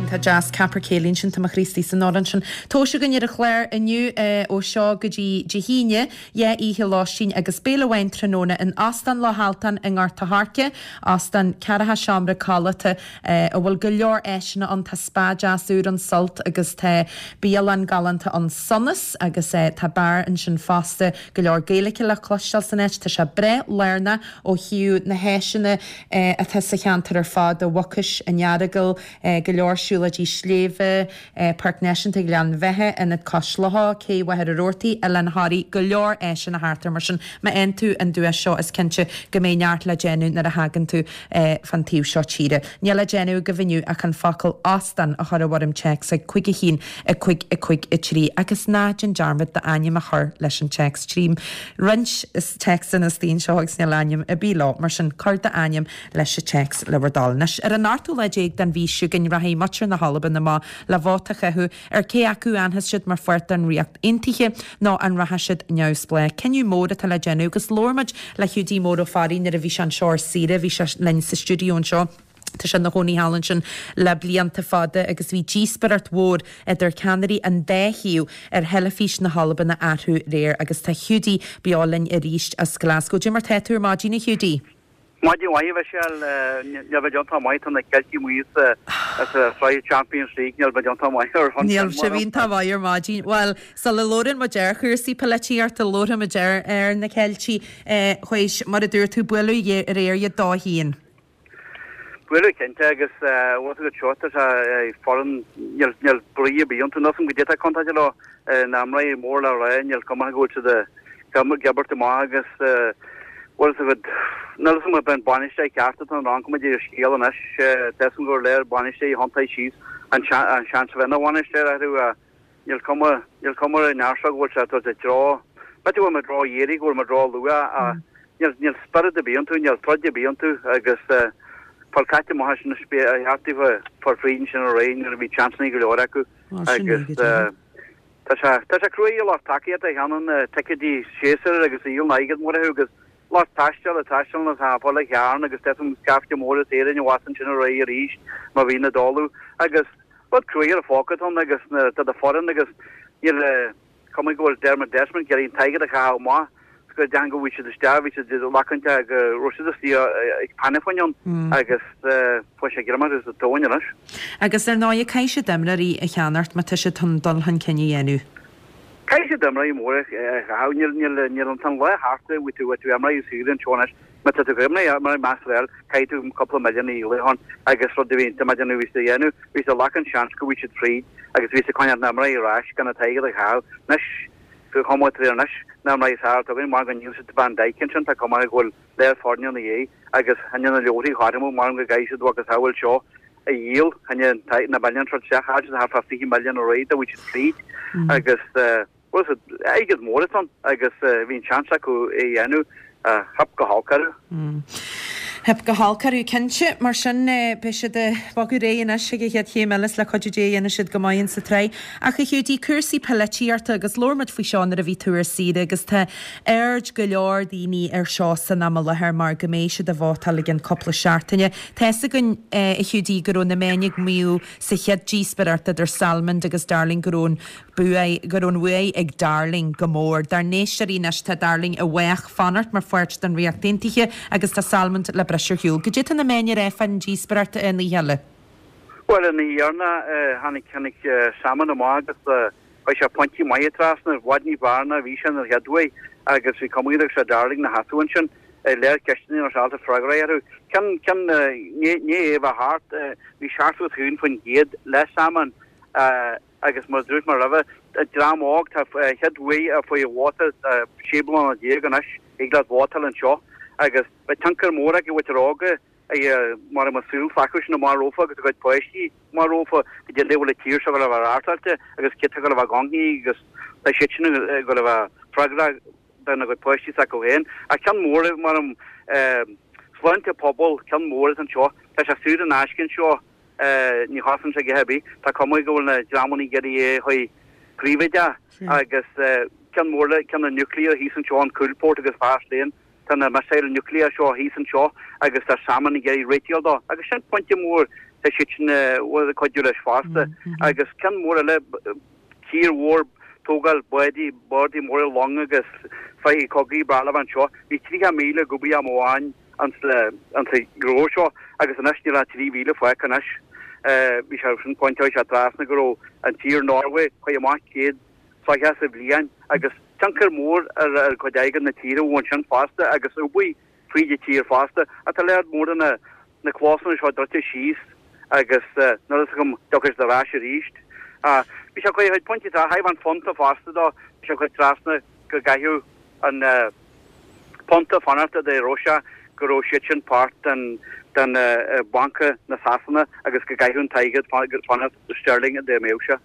Iontach deas Capercaillie ansin, tá mo chroí istigh san amhrán sin. Tomhais againn ar an chlár inniu ó seo go dtí Dé hAoine, dhá oíche lóistín agus béile amháin tráthnóna in Óstán Loch Altan i nGort a' Choirce, óstán ceathracha seomra codlata a bhfuil go leor áiseanna ann, tá spa deas úr ann, Sult, agus tá bialann galánta ann, Sonas, agus tá beár ansin fosta, go leor Gaeilge le cloisteáil san áit, tá sé breá lárnach ó thaobh na háiseanna atá sa cheantar ar fad, i Mucais, in Earagail, go leor siúlóidí sléibhe, Páirc Náisiúnta Ghleann Bheatha, Ionad Cois Locha, Cé Mhachaire Rabhartaigh, Oileán Thoraí, go leor áiseanna thart air. Mar sin, má fhaigheann tú an duais seo is cinnte go mbeidh neart le déanamh nuair a thagann tú fán taobh seo tíre. Níl le déanamh agaibh inniu ach an focal 'óstán' a chur i bhfoirm téacs ag cúig a haon, a cúig, a cúig, a trí agus ná déan dearmad d'ainm a chur leis an téacs. Tchím roinnt téacsanna istigh anseo agus níl ainm ar bith leo, mar sin cuir d'ainm leis an téacs le bhur dtoil. Anois, ar an ochtú lá déag den mhí seo chugainn, rachaidh muintir na hAlban amach le vóta a chaitheamh ar cé acu an bhfanfaidh siad mar pháirt den Ríocht Aontaithe nó an rachaidh siad neamhspleách. Cinneadh mór atá le déanamh agus labhair muid le Hiúdaí Mór Ó Fearraigh nuair a bhí sé anseo ar saoire, bhí sé linn sa stiúideo anseo. Tá sé ina chónaí thall ansin le blianta fada agus bhí díospóireacht mhór idir ceannairí an dá thaobh ar theilifís na hAlban a athrú aréir agus tá Hiúdaí beo linn arís as Glasgow. Cad é mar tá tú ar maidin, a Hiúdaí? Maidin mhaith, a Mhichelle. Níl mé iontach maith, tá na Ceiltigh amuigh as an tsraith Champions League, níl mé iontach maith ar shon sin. Níl sibh iontach maith ar maidin. Bhuel, sula labhrann muid ar chúrsaí polaitíochta, labharfaidh muid ar ar na Ceiltigh, théis, mar a dúirt tú, bualadh aréir iad dó a haon. Bualadh cinnte agus bhfuil a fhios agat seo, tá sé foireann, níl níl brí ar bith iontu, níl a fhios agam goidé atá contráilte leo, na imreoirí mór le rá, níl cuma go bhfuil siad ag imirt amach agus bhfuil a fhios agat, níl a fhios agam an bainisteoir ceart atá ann, cuma ar an scéal anois, tá a fhios agam gur léir bainisteoirí a thiontaigh síos an seans a bheith ina bhainisteoir orthu ach níl cuma, níl cuma ar an fhear seo go bhfuil sé ag dul i dtreo, b'fhéidir go bhfuil muid ró-éirí, go bhfuil muid ró-luath ach níl, níl spiorad ar bith iontu, níl troid ar bith iontu agus fáil caite amach as sin a cheart daofa fáil fríd ansin aréir nuair a bhí seansanna go leor acu agus tá sé, tá sé cruaidh ar lucht tacaíochta a cheannaíonn ticéidí séasúir agus a dhíolann airgead mór orthu agus lucht taistil a taistealann as Hafáil a Chearn agus tá a fhios agam scaifte mór as Éirinn abhus ansin aréir arís má bhí na dóladh agus Rud cruaidh ar a phóca atá ann agus na tá do foireann agus níl cuma go bhfuil Dermot Desmond ag iarraidh an t-airgead a chaitheamh amach is go deimhin go bhfuil siad isteach bhí siad ag lachaint go raibh siad istigh ag panna faoin ann agus fuair sé greim orthu sa tóin anois. Agus ar ndóigh caithfidh siad imreoirí a cheannacht má tá siad chun dul chun cinn a dhéanamh. Caithfidh siad imreoirí móra a chaitheamh. Níl, níl, níl an t-an lá thart, bhí tú, bhí tú imreoirí saora anseo anois. Má tá tú ag imreoirí, imreoirí measartha a fháil, caithfidh tú cúpla milliún a dhíol ann agus rud a bhí, tá mé ag déanamh, bhí siad a dhéanamh, bhí siad ag glacadh an seans go bhfuil siad fríd agus bhí siad ag coinneáil na n-imreoirí ar ais gan an t-airgead a chaitheamh. Anois, chomh maith tar anois, na imreoirí is fearr atá againn, mar go ndíol siad Van Dijk ansin, tá cuma go bhfuil léir foirne ina dhiaidh agus tháinig na leabharthaí chothrom, mar go gcaithfidh siad agus a bhfuil seo a dhíol, tháinig na milliúin seo isteach, chaill siad thart fá fiche milliún aréir dá bhfuil siad fríd agus bhuel is airgead mór atá ann agus bhí an seans acu é a dhéanamh, theip go holc orthu. Theip go holc orthu cinnte. Mar sin beidh siad ag bogadh ar aghaidh anois chuig an chéad chéim eile is le cuidiú Dé dhéanfaidh siad go maith insa tsraith. Ach a Hiúdaí, cúrsaí polaitíochta agus labhair muid faoi seo nuair a bhí tú ar saoire agus tá aird go leor daoine ar seo san am i láthair mar go mbeidh siad ag vótáil i gcionn cúpla seachtaine. Tá fhios againn, a Hiúdaí, go raibh na meáin ag maíomh sa chéad díospóireacht idir Salmond agus Darling go raibh an bua, go raibh an bhuaidh ag Darling go mór. Dár n-éisteoirí anois, tá Darling i bhfách fanacht mar pháirt den Ríocht Aontaithe agus tá Salmond le briseadh ar shiúl. Goidé tá na meáin ag rá fán díospóireacht an oíche eile? Bhuel, an oíche dheireanach, tháinig, tháinig Salmond amach agus chuir sé pointí maithe trasna, i bhfad ní b'fhearr ná a bhí sé an chéad uair agus bhí cuma air agus Darling ina sheasamh ansin. Léir ceisteanna nach raibh ábalta freagra orthu. Ceann, ceann, ní é bheith thart, bhí seachtó is a haon faoin gcéad le Salmond agus mar a dúirt mé roimhe, dream óg, tá chéad uair a fuair vóta sé bliana déag anois, thig leat vótáil anseo Agus beidh tionchar mór ag an mhuintir óga mar an saol s'acu sin amach rompu agus a gcuid páistí amach rompu goidé a bhfuil an tír seo ag dul a bheith reáchtáilte agus cé atá ag dul a bheith gnóthaí agus tá siad sin ag dul a bheith freagrach dona gcuid páistí s'acu féin. Ach ceann mór mar an sláinte pobail ceann mór is anseo tá sé saor in aisce anseo ní chosain sé a dhath ar bith. Tá cuma go bhfuil na dreamanna ag iarraidh é a chur príobháideach agus ceann mór le ceann na nuclear thíos anseo an Coolport agus Faslane. Tá na missile nuclear seo thíos anseo agus tá Salmond ag iarraidh réiteáil dó agus sin pointe mór tá siad sin ag cuidiú leis fosta agus ceann mór eile tír mhór tógáil bádaí bádaí móra long agus soithí cogaidh breá le bheith anseo. Bhí tríocha míle ag obair am amháin ansa gnó seo agus anois níl ach trí mhíle fágtha anois. Bhí sé sin pointe sé trasna go raibh an tír Norway chuaigh amach céad soitheach sa bhliain agus tionchar mór ar ar chuid airgead na tíre ó ansin fosta agus obair fríd an tír fosta. Ach tá lear mór de na na clósanna seo druidte síos agus níl a fhios agam dtiocfaidh siad ar ais arís. Bhí sé chuig pointe tá thaobh an phunta fosta dó, bhí sé chuig trasna go gcaithfeadh an punta fanacht de raibh sé go raibh siad sin páirt den den banca na Sasana agus go gcaithfeadh an t-airgead fanacht sterling dá mbeadh sé.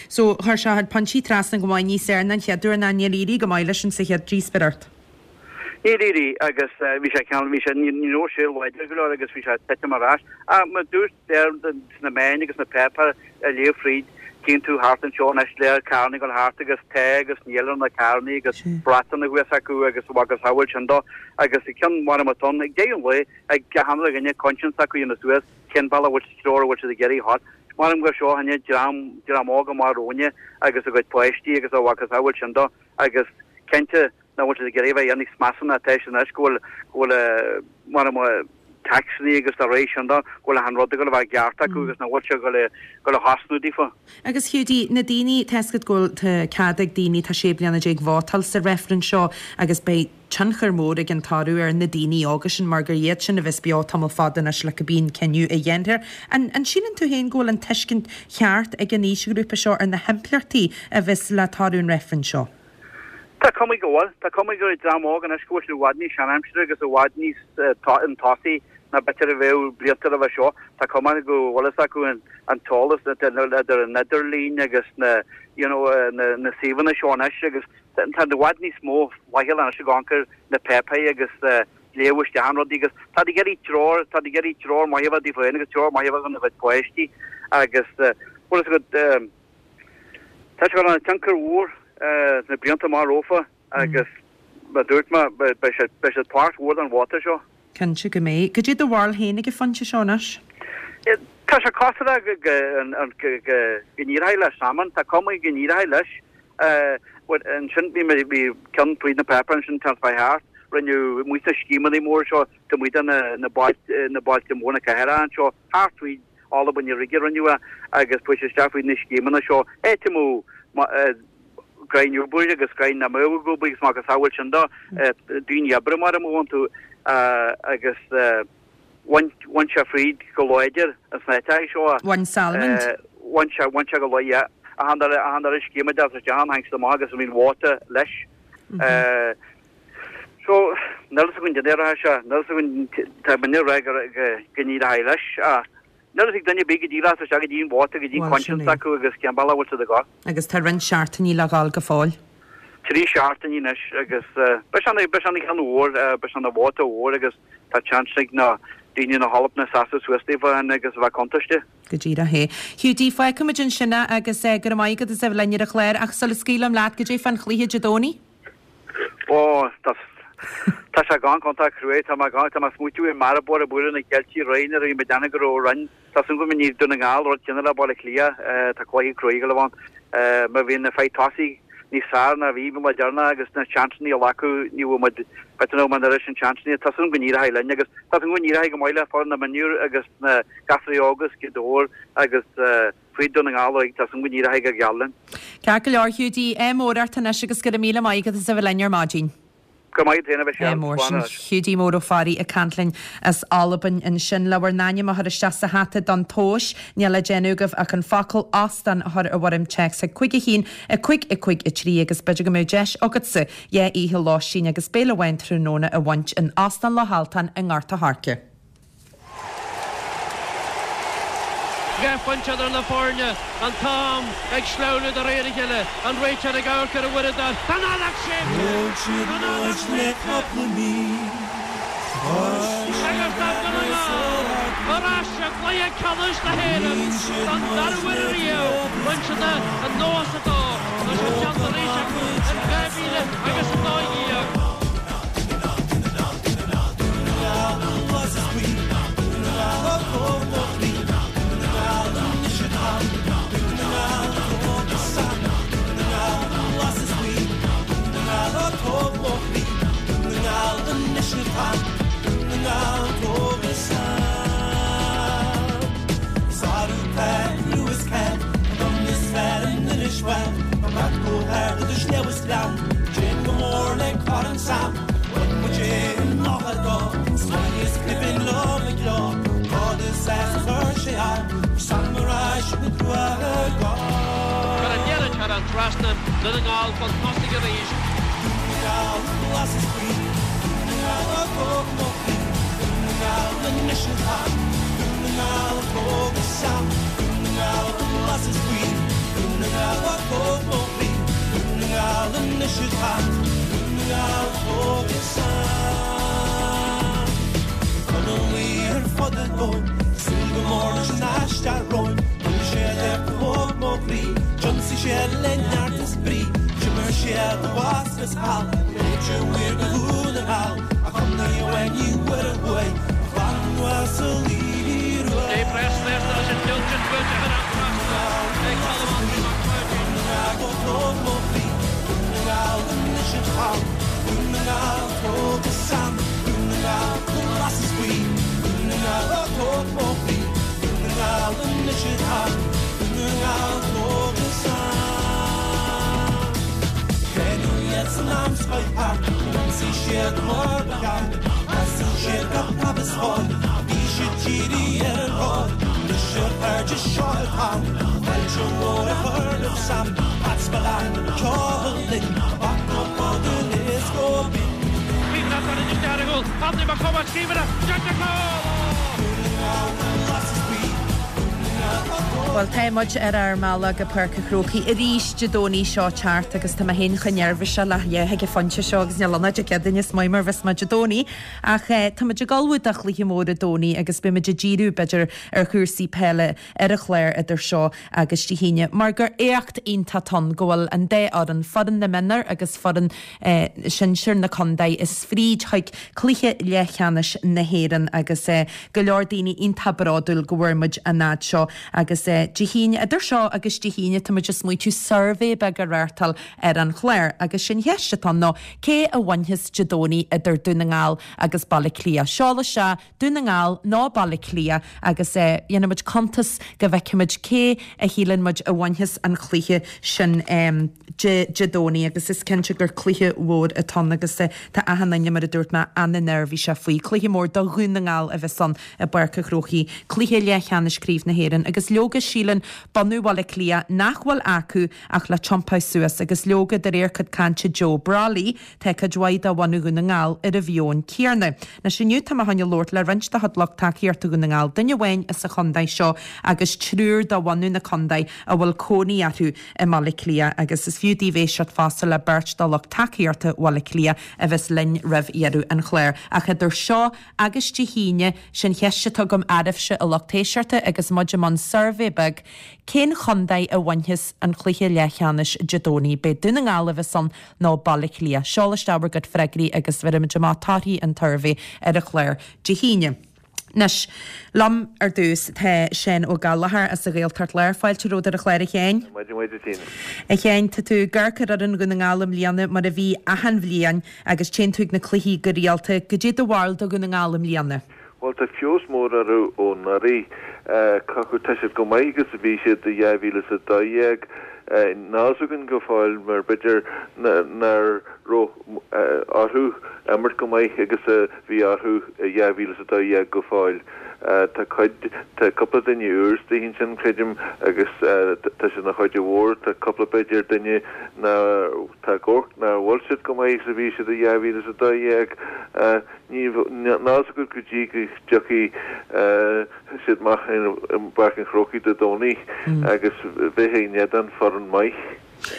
So chuir sé a chuid pointí trasna go maith níos fearr ná an chéad uair ná níor éirigh go maith leis insa chéad díospóireacht. Níor éirigh agus bhí sé ceann bhí sé ní raibh sé láidir go leor agus bhí sé ag titim ar ais. Ach mar dúirt deir sna meáin agus na páipéir a léamh fríd tchíonn tú thart anseo anois léir carranna ag dul thart agus tá agus níl ar na carranna agus bratanna thuas acu agus agus shamhail sin dó agus ceann mar a ton ag deireadh an lae ag gach aon duine conscience acu dhéanamh suas cén bealach a bhfuil sa treoir a bhfuil siad ag iarraidh a theacht. Maram gur seo an dream dream óg amach romhainne agus a gcuid páistí agus a mhacasamhail sin dó agus cinnte nach bhfuil siad ag iarraidh a bheith níos measa ná atá siad anois go bhfuil go bhfuil maram taxanna agus dá réir sin de go bhfuil achan rud ag dul a bheith i gceart acu agus nach bhfuil sé ag dul a thosnú daofa. Agus Hiúdaí, na daoine, tá 'fhios agat go bhfuil tá cead ag daoine atá sé bliana déag vótáil sa reifreann seo agus beidh tionchar mór ag an toradh ar na daoine óga sin mar gur iad sin a bheas beo tamall fada anois le cibé an cinneadh a dhéanfar. An an síleann tú féin go bhfuil an tuiscint cheart ag an aoisghrúpa seo ar na himpleachtaí a bheas le toradh an reifrinn seo? Tá cuma go bhfuil. Tá cuma go bhfuil dream óg anois go bhfuil siad i bhfad níos seanaimsire agus i bhfad níos chun tosaigh ná b'fhéidir a bheadh blianta roimhe seo. Tá cuma go bhfuil fhios acu an t-eolas idir an idirlíon agus na you know na na suíomhanna seo anois agus tá i bhfad níos mó faichill anois ag amharc ar na páipéir agus léamh isteach an rudaí agus tá ag iarraidh treoir tá ag iarraidh treoir maith a bheith daofa féin agus treoir maith a bheith dona gcuid páistí agus bhfuil fhios agat Tá sé ag dul a tionchar mhór sna blianta amach rompu agus mar dúirt mé beidh siad beidh siad páirt mhór den vóta seo. Cinnte go mbeidh. Cad é do bharúil féin ag an phointe seo anois? Tá sé cosúil go go go go n-éireoidh le Salmond, tá cuma go n-éireoidh leis. Bhuel ansin bhí mé bhí ceann fríd na páipéir ansin an tseachtain thart, rinneadh amuigh sna scéimeanna móra seo taobh amuigh de na na bailte na bailte móra na cathracha anseo thart fríd Albain i Ríge rinneadh é agus chuaigh sé isteach faoi na scéimeanna seo áit a mbeadh greim obair agus greim na mbeadh ag obair agus macasamhail sin do daoine oibre mar a mbeadh iontu agus bhain bhain sé fríd go láidir sna háiteacha seo. Bhain Salmond? Bhain sé bhain sé go láidir yeah. Achan dara achan dara scéim a d'fhás isteach ann tháinig siad amach agus bhí an vóta leis. So níl fhios againn cad é a rachaidh sé, níl fhios againn tá muidne ag rá go go n-éireoidh leis ach Níl fhios ag duine ar bith go dtí lá isteach go dtí an vóta go dtí an conscience acu agus cén bealach a bhfuil siad ag dul. Agus tá roinnt seachtainí le dhul go fóill. Trí seachtainí anois agus beidh sé beidh sé ina cheann mhór, beidh sé ina vóta mhór agus tá seans ag na daoine na hAlban a seasamh suas daofa agus a bheith contúirteach. Go díreach é. Hiúdaí, fágfaimid ansin é agus go raibh maith agat as a bheith linn ar an chlár ach sula scaoilim leat, goidé fán chluiche Dé Domhnaigh? Ó, tá tá sé gan iontach cruaidh, tá mé gan, tá mé ag smaoitiú ar Maribor ag bualadh na Ceiltigh aréir nuair a bhí mé ag déanamh go raibh roinn, tá súil agam go ndéanfaidh Dún na nGall rud céanna le Baile Átha Cliath, tá cluiche cruaidh ag dul a bheith ann. Má bhíonn na fir tosaigh níos fearr ná a bhí an lá deireanach agus na seansanna a ghlacadh, ní bhfuil muid, b'fhéidir nach bhfuil muid an oiread sin seansanna, tá súil agam go n-éireoidh linn agus tá súil agam go n-éireoidh go maith le foireann na mionúr agus na gasúraí óga as Gaoth Dobhair agus fríd Dún na nGall uilig, tá súil agam go n-éireoidh go geal linn. Ceart go leor, Hiúdaí, ádh mór ort anois agus go raibh míle maith agat as a bheith linn ar maidin. Go maith féin a Mhichelle. Mór sin Hiúdaí Mór Ó Fearraigh ag caint linn as Albain ansin. Le bhur n-ainm a chur isteach sa hata don tomhas, níl le déanamh agaibh ach an focal 'óstán' a chur i bhfoirm téacs chuig cúig a haon, a cúig, a cúig, a trí agus b'fhéidir go mbeadh deis agatsa dhá oíche lóistín agus béile amháin tráthnóna a bhaint in Óstán Loch Altáin i nGort a' Choirce. Dhá phointe idir na foirne, an t-am ag sleamhnú de réir a chéile, an réiteoir ag amharc ar an uaireadóir, tá an fheadóg séidte! Thóg siad Tá an fheadóg muid le séidte! cúpla mí Toisc Agus tá Dún na nGall ar ais i gcluiche ceannais na hÉireann Níl siad don dara muid huair le riamh. Bhain siad é i nócha a dó, tá sé déanta arís acu in dhá mhíle agus a dó dhéag. Cuir an liathróid thar an trasnán, Dún na nGall chun tosaigh arís. Dave Press leis an Dilton buailte thar an trasnán ag Colm Anthony Mac Pháidín. Bhí na foirne isteach ar an gcúl, Anthony Mac Cóil, scríobhanna, Jack McCall! Bhuel, tá muid ar ár mbealach go Páirc an Chrócaigh arís Dé Domhnaigh seo thart agus tá mé féin chomh neirbhíseach le leath ag an phointe seo agus níl ann ach Dé Céadaoin is maith mar bheas muid Dé Domhnaigh ach tá muid ag ullmhú do chluiche mór Dé Domhnaigh agus beidh muid ag díriú b'fhéidir ar chúrsaí peile ar an chlár idir seo agus Dé hAoine mar gur éacht iontach atá ann go bhfuil an dá fhoireann, foireann na mionúr agus foireann sinsir na contae is fríd chuig cluiche leathcheannais na hÉireann agus go leor daoine iontach bródúil go bhfuair muid an fhad seo agus Dé hAoine, idir seo agus Dé hAoine tá muid ag smaointiú suirbhé beag a reáchtáil ar an chlár agus sé'n cheist atá ann ná cé a bhainfeas Dé Domhnaigh idir Dún na nGall agus Baile Átha Cliath. Seol isteach Dún na nGall nó Baile Átha Cliath agus dhéanfaidh muid cuntas go bhfeicfidh muid cé a shíleann muid a bhainfeas an cluiche sin Dé Dé Domhnaigh agus is cinnte gur cluiche mhór atá ann agus tá achan duine mar a dúirt mé an-neirbhíseach faoi. Cluiche mór do Dhún na nGall a bheas ann i bPáirc an Chrócaigh, cluiche leathcheannais Craobh na hÉireann agus leoga síleann bunadh Bhaile Átha Cliath nach bhfuil acu ach le tiompáil suas agus leoga de réir cuid cainte Joe Brolly tá cuid mhaith de bhunadh Dhún na nGall ar an mheon céanna. Anois inniu tá mé chun labhairt le roinnt de chuid lucht tacaíochta Dhún na nGall, duine amháin as an chontae seo agus triúr de bhunadh na contae a bhfuil cónaí orthu i mBaile Átha Cliath agus is fiú daoibh éisteacht fosta le beirt de lucht tacaíochta Bhaile Átha Cliath a bheas linn roimh dheireadh an chláir. Ach idir seo agus Dé hAoine, sé'n cheist atá agam oraibhse a lucht éisteachta agus muid i mbun suirbhé beag, cén chontae a bhainfeas an cluiche leathcheannais Dé Domhnaigh? B'é Dún na nGall a bheas ann nó Baile Átha Cliath? Seol isteach bhur gcuid freagraí agus bheirfimid amach torthaí an tsuirbhé ar an chlár Dé hAoine. Anois, liom ar dtús tá Seán Ó Gallchóir as an Ghaeltacht Láir. Fáilte romhat ar an chlár a Sheáin. Maidin mhaith duit Tina. A Sheáin, tá tú ag amharc ar fhoireann Dhún na nGall i mbliana mar a bhí achan bhliain agus téann tú ag na cluichí go rialta. Goidé do bharúil do Dhún na nGall i mbliana? Bhuel, tá feabhas mór orthu ó anuraidh. Cé tá siad chomh maith agus a bhí siad i dhá mhíle is a dó dhéag. Níl a fhios againn go fóill mar b'fhéidir nach raibh orthu imirt go maith agus a bhí orthu i dhá mhíle is a dó dhéag go fóill. Tá cuid, tá cúpla duine úr istigh ansin, creidim, agus tá siad ina chuid mhór, tá cúpla b'fhéidir duine ná, tá ag amharc nach bhfuil siad chomh maith is a bhí siad i dhá mhíle is a dó dhéag. Ní, níl a fhios agat go dtí go dtiocfaidh siad amach i bPáirc an Chrócaigh Dé Domhnaigh agus bheith in éadan foireann maith.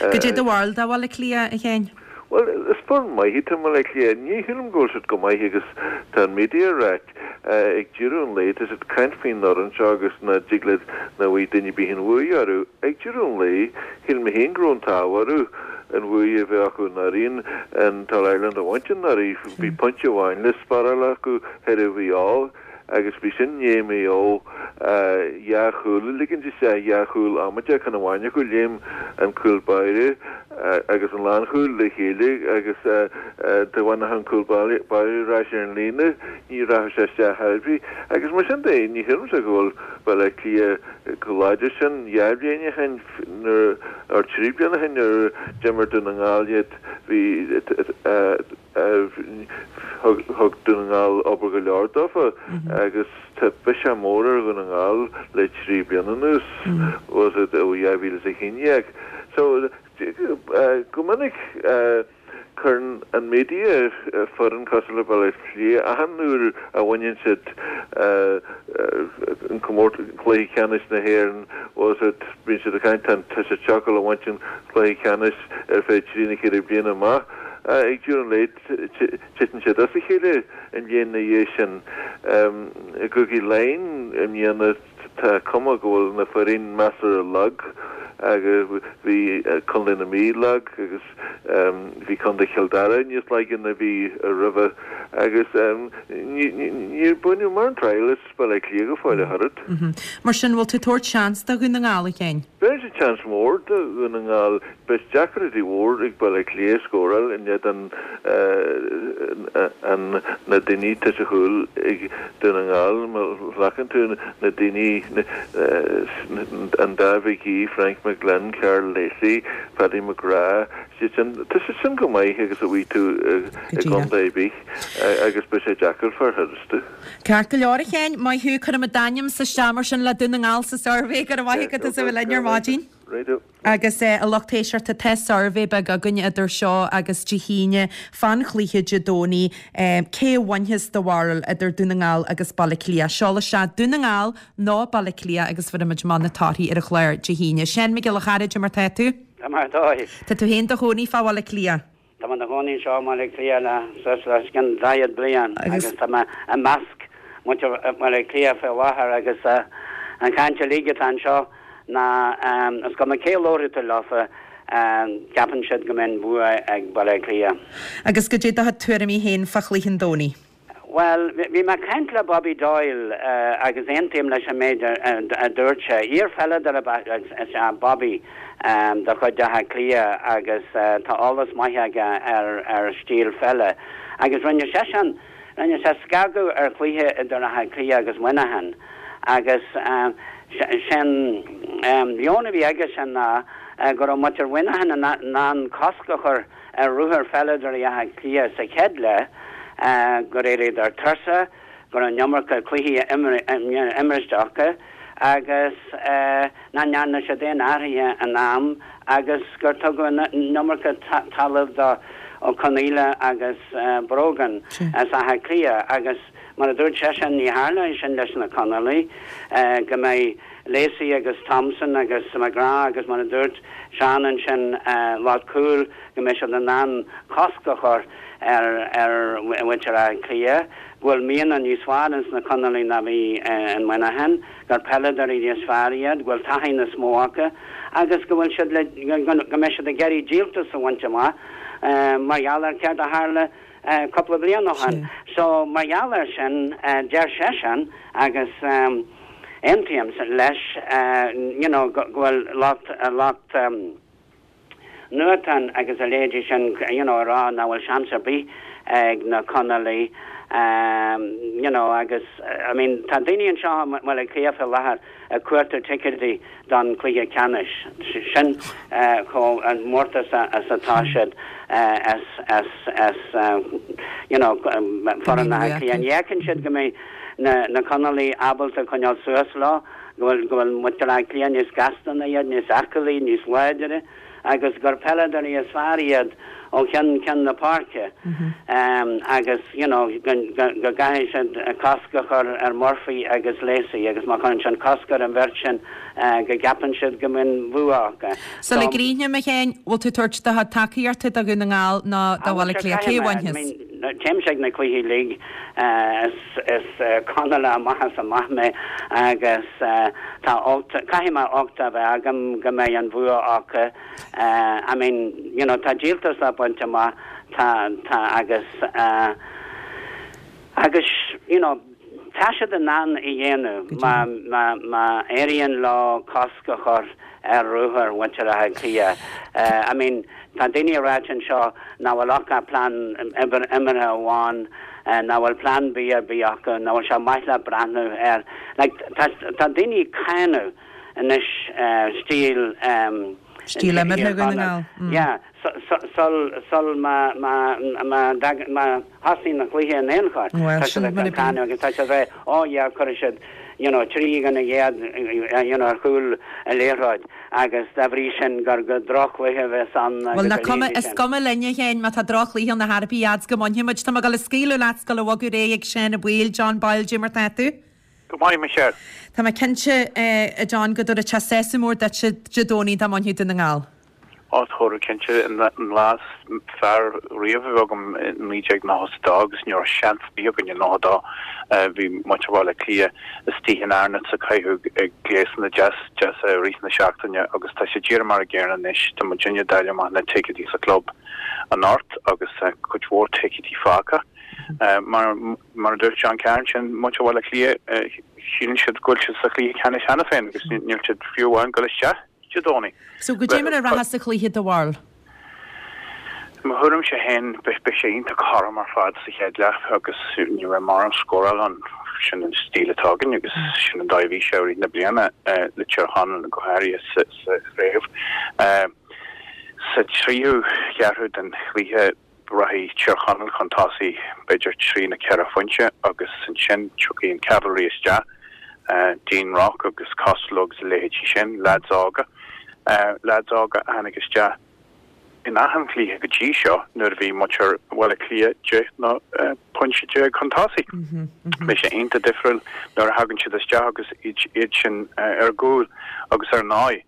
Goidé do bharúil de Bhaile Átha Cliath, a Sheáin? Bhuel, is foireann maith iad Baile Átha Cliath. Ní shílim go bhfuil siad chomh maith agus tá an media ag ráit. Ag deireadh an lae, tá siad ag caint faoin fhoireann seo agus nach dtig le nach bhfaighidh duine ar bith an bhuaidh orthu. Ag deireadh an lae, shíl mé féin go raibh an t-ádh orthu an bhuaidh a bheith acu anuraidh, an tAll-Ireland a bhaint anuraidh. Bhí pointe amháin le spáráil acu ar Mhaigh Eo. agus bhí sin i ndiaidh Maigh Eo dhá chúl a ligint isteach, dhá chúl amaideach, ceann amháin acu, léim an cúl báire agus an lánchúl le chéile agus dá bhfanfadh an cúl báire ar ais ar an líne ní rachadh sé isteach ar bith. Agus mar sin de, ní shílimse go bhfuil Baile Átha Cliath chomh láidir sin. Dhá bhliain ó shin, nuair, or trí bliana ó shin nuair a d'imir Dún na nGall iad, bhí, Thug Dún na nGall obair go leor dófa agus tá biseach mór ar Dhún na nGall le trí bliana anuas, was it ó dhá mhíle is a haon déag. So go minic cuireann an media foireann cosúil le Baile Átha Cliath achan uair a bhaineann siad an comórtas cluiche ceannais na hÉireann, was it, bíonn siad ag caint tá siad ag gabháil a bhaint an cluiche ceannais ar feadh trí nó ceithre bliana amach. Ag deireadh an lae, titeann siad as a chéile an bhliain ina dhiaidh sin. I gCúige Laighean i mbliana tá cuma go bhfuil na foireann measartha lag agus bhí Contae na Mí lag agus bhí Contae Chill Dara níos laige ná bhí roimhe agus níor baineadh mórán triail as Baile Átha Cliath go fóill ach oiread. Mar sin, bhfuil tú ag tabhairt seans do Dhún na nGall, a Sheáin? Bheirimse seans mór do Dhún na nGall. Beidh deacrachtaí mhór ag Baile Átha Cliath scóráil in éadan na daoine atá sa chúl ag Dún na nGall. Má ghlacann tú na daoine, an dá McGee, Frank McGlynn, Karl Lacey, Paddy McGrath, siad sin, tá siad sin go maith agus a bhfaighidh tú i gcontae ar bith agus beidh sé deacair fir tharstu. Ceart go leor a Sheáin, maith thú, cuirfimid d'ainmse isteach mar sin le Dún na nGall sa suirbhé, go raibh maith agat as a bheith linn ar maidin. Righto. Agus a lucht éisteachta, tá suirbhé beag againn idir seo agus Dé hAoine fán chluiche Dé Domhnaigh, cé a bhainfeas do bharúil idir Dún na nGall agus Baile Átha Cliath? Seol isteach Dún na nGall nó Baile Átha Cliath agus bhéarfaimid amach na torthaí ar an chlár Dé hAoine. Seán Mac Giolla Chara, cad é mar tá tú? Tá mé ar dóigh. Tá tú féin do chónaí fá Bhaile Átha Cliath? Tá mé i mo chónaí anseo i mBaile Átha Cliath le suas le os cionn daichead bliain agus tá mé i measc muintir Bhaile Átha Cliath faoi láthair agus an chaint uilig atá anseo ná is cuma cé a labhróidh tú leofa ceapann siad go mbeidh an bua ag Baile Átha Cliath. Agus goidé do chuid tuairimí féin fá chluiche an Domhnaigh? Bhuel, bhí mé ag caint le Bobby Doyle agus aontaím leis an méid a dúirt sé. Iar-pheileadóir is ea Bobby de chuid Átha Cliath agus tá eolas maith aige ar stíl pheile. Agus rinne seisean, rinne sé scagadh ar chluiche idir Áth Cliath agus Muineachán agus sé'n meon a bhí aigesean ná go raibh muintir Mhuineacháin in ann cosc a chur ar ruathar pheileadóirí Átha Cliath sa chéad leath, gur éiríodar tuirseach, go raibh an iomarca cluichí imriste acu agus nach ndearna siad aon athruithe in am agus gur tugadh an iomarca talaimh do Ó Conaola agus Brogan as Áth Cliath agus mar a dúirt seisean ní tharlóidh sin leis na Conallaigh, go mbeidh Lacey agus Thompson agus McGrath agus mar a dúirt Seán ansin lucht cúil go mbeidh siad in ann cosc a chur ar ar mhuintir Átha Cliath, go bhfuil mianach níos fearr ins na Conallaigh ná bhí in Muineachán, gur peileadóirí níos fearr iad, go bhfuil taithí níos mó acu agus go bhfuil siad le go mbeidh siad ag iarraidh díoltas a bhaint amach mar gheall ar céard a tharla cúpla bliain ó shin. So mar gheall air sin deir seisean agus aontaím leis you know go bhfuil lucht lucht nuachtáin agus a leithéidí sin you know, ag rá nach bhfuil seans ar bith ag na Conallaigh um, you know, agus I mean, tá daoine anseo i mBaile Átha Cliath faoi láthair ag cuartú ticéidí don cluiche ceannais sin uh, chomh an mórtas as atá siad uh, as as as uh, you know, foireann Átha Cliath. Ní fheiceann siad go mbeidh na, na Conallaigh ábalta coinneáil suas leo go bhfuil go bhfuil muintir Átha Cliath níos gasta ná iad níos aclaí níos láidre agus gur peileadóirí is fearr iad ó cheann ceann na páirce um, agus you know, go go gcaithfidh siad cosc a chur ar Murphy agus Lacey agus má chuireann siad cosc ar an bheirt sin uh, go gceapann siad go mbeidh bua acu. So le gríine me chéin bhfuil tú tabhairt do tacaíocht do Dhún na nGall ná do Bhaile Átha Cliath cé bhainfeas? Téimse ag na cluichí uilig is is Conallach amach is amach mé agus tá caithfidh mé uchtach a bheith agam go mbeidh an bua acu. I mean, you know, tá díoltas le baint amach tá tá agus uh, agus you know, tá siad in ann é a dhéanamh má má má éiríonn leo cosc a chur ar ruathar mhuintir Átha Cliath. Uh, I mean, tá daoine ag ráit anseo nach bhfuil ach plean imeartha amháin uh, nach bhfuil plan B ar bith acu, nach bhfuil sé maith le breathnú air. Like, tá tá daoine ag cáineadh anois uh, stíl um, Stíl imeartha Dhún na nGall. Mm. Yeah, sul sul má má má má thosaíonn na cluiche in aon chor. Well, Tá sin siad mar a ag cáineadh agus tá siad bheith ó yeah chuir siad you know, trí gan a ghéad you know, ar chúl a liathróid agus dá bhrí sin gur go drochchluiche a bheas ann Well na cuma is cuma linne féin má tá drochchluiche na harbí ads go mbainfidh muid tá go le scaoileadh leat go le bhogadh réidh ag sin a bhfuil John Boyle mar tá tú? Go maith Michelle. Tá mé cinnte a John go dtabharfaidh sé sásamh mór duit Dé Domhnaigh dá mbainfeadh Dún na nGall. Á thabharfadh cinnte an lá is fearr riamh a bhí agam naoi déag nócha dó agus ní raibh seans ar bith againn i nócha dó bhí muintir Bhaile Átha Cliath istigh in Arnotts ag caitheamh gléasanna deas deasa i rith na seachtaine agus tá sé díreach mar an gcéanna anois tá muidinne ag dáileadh amach na ticéidí sa club anocht agus cuid mhór ticéidí fágtha. Mar mar a dúirt John Cairn sin muintir Bhaile Átha Cliath síleann siad go bhfuil siad sa chluiche ceannais cheana féin agus níl siad fiú amháin ag dul isteach Dé Domhnaigh. So go dté mar a rachas sa chluiche do bharúil. Mo thuairimse féin beidh sé iontach cothrom ar fad sa chéad leath agus ní raibh mórán scóráil ann sin an stíl atá againn agus sin an dóigh a bhí sé i rith na bliana le Tír Chonaill go háirithe sa sa chraobh. Sa tríú ceathrú den chluiche rachaidh Tír Chonaill chun tosaigh b'fhéidir trí nó ceithre phointe agus ansin tiocfaidh an cavalry isteach Dean Rock agus Costello agus a leithéidí sin, lads óga. Lads óga a tháinig isteach in achan chluiche go dtí seo nuair a bhí muintir Bhaile Átha Cliath deich nó pointe déag chun tosaigh. Beidh sé iontach difriúil nuair a thagann siad isteach agus iad iad sin ar gcúl agus ar ndóigh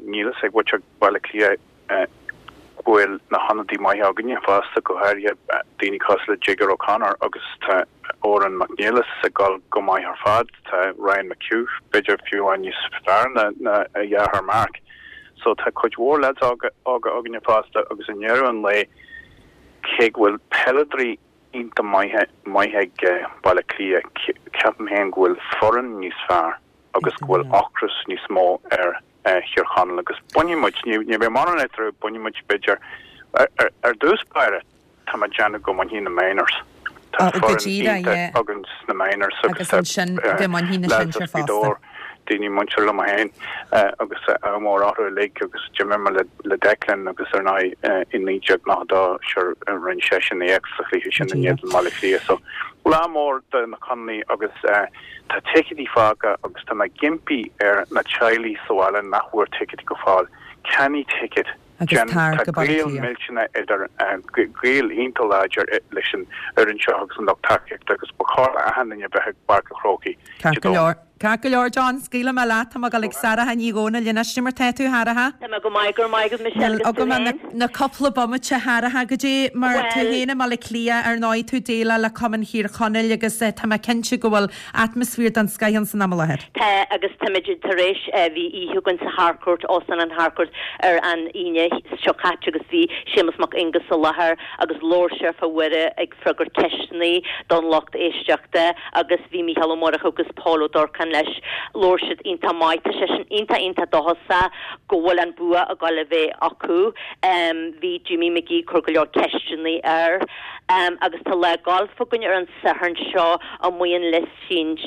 níl fhios ag muintir Bhaile Átha Cliath go bhfuil na hionadaí maithe againne fosta go háirithe daoine cosúil le Jigger O'Connor agus tá Odhrán Mac Niallais ag dul go maith ar fad, tá Ryan McHugh b'fhéidir fiú amháin níos fearr ná ná a dheartháir Mark. So tá cuid mhór lads óga óga againne fosta agus i ndeireadh an lae cé go bhfuil peileadóirí iontach maithe maith ag Baile Átha Cliath ceapaim féin go bhfuil foireann níos fearr agus go bhfuil ocras níos mó ar Thír Chonaill agus bainfidh muid ní ní bheidh mórán eatarthu bainfidh muid b'fhéidir ar ar dtús báire tá mé ag déanamh go mbainfidh na minors. Tá go foireann díreach, iontach yeah. againn sna minors Agus agus tá ansin go mbainfidh na lads sinsir as fosta. Gaoth Dobhair, daoine muinteartha liom féin agus ádh mór orthu uilig agus d'imir mé le le Declan agus ar ndóigh i naoi déag nócha dó sure rinne seisean éacht sa chluiche sin in éadan Bhaile Átha Cliath. So lá mór do na Conallaigh agus tá ticéidí fágtha agus tá mé ag impí ar na teaghlaigh sa bhaile nach bhfuair ticéidí go fóill. Ceannaigh ticéad. Agus Jen, tar tá go Baile Átha gaol Cliath. millteanach idir gaol iontach láidir leis an fhoireann seo agus an lucht tacaíochta agus ba chóir achan duine bheith ag Páirc an Chrócaigh Ceart Dé go Domhnaigh. leor. Ceart go leor John, scaoilfidh mé leat tá mé ag dul ag Sarah Ní Dhomhnaill anois mar tá tú Sharaha. Tá mé go maith go maith go Michelle Níl agus tú agam na, féin. na cúpla bomaite Sharaha go dtí mar tú Well- féin i mBaile Átha Cliath ar ndóigh tú déileáil le Cumann Thír Chonaill agus eh, tá mé cinnte go bhfuil atmaisféar den scoth ann san am i láthair. Tá agus táimid tar éis eh, bhí oíche againn sa Harcourt Óstán an Harcourt ar an Aoine seo caite agus bhí Séamus Mac Aonghusa i láthair agus labhair sé fá Mhuire ag freagairt ceisteanna don lucht éisteachta agus bhí Mícheál Ó Murchú agus Paul Ó Durcáin seachtain leis, labhair siad iontach maith, tá seisean iontach iontach dóchasach go bhfuil an bua ag dul a bheith acu. Bhí Jimmy McGee ag cur go leor ceisteanna air. Agus tá lá gailf againn ar an Satharn seo amuigh in Liffey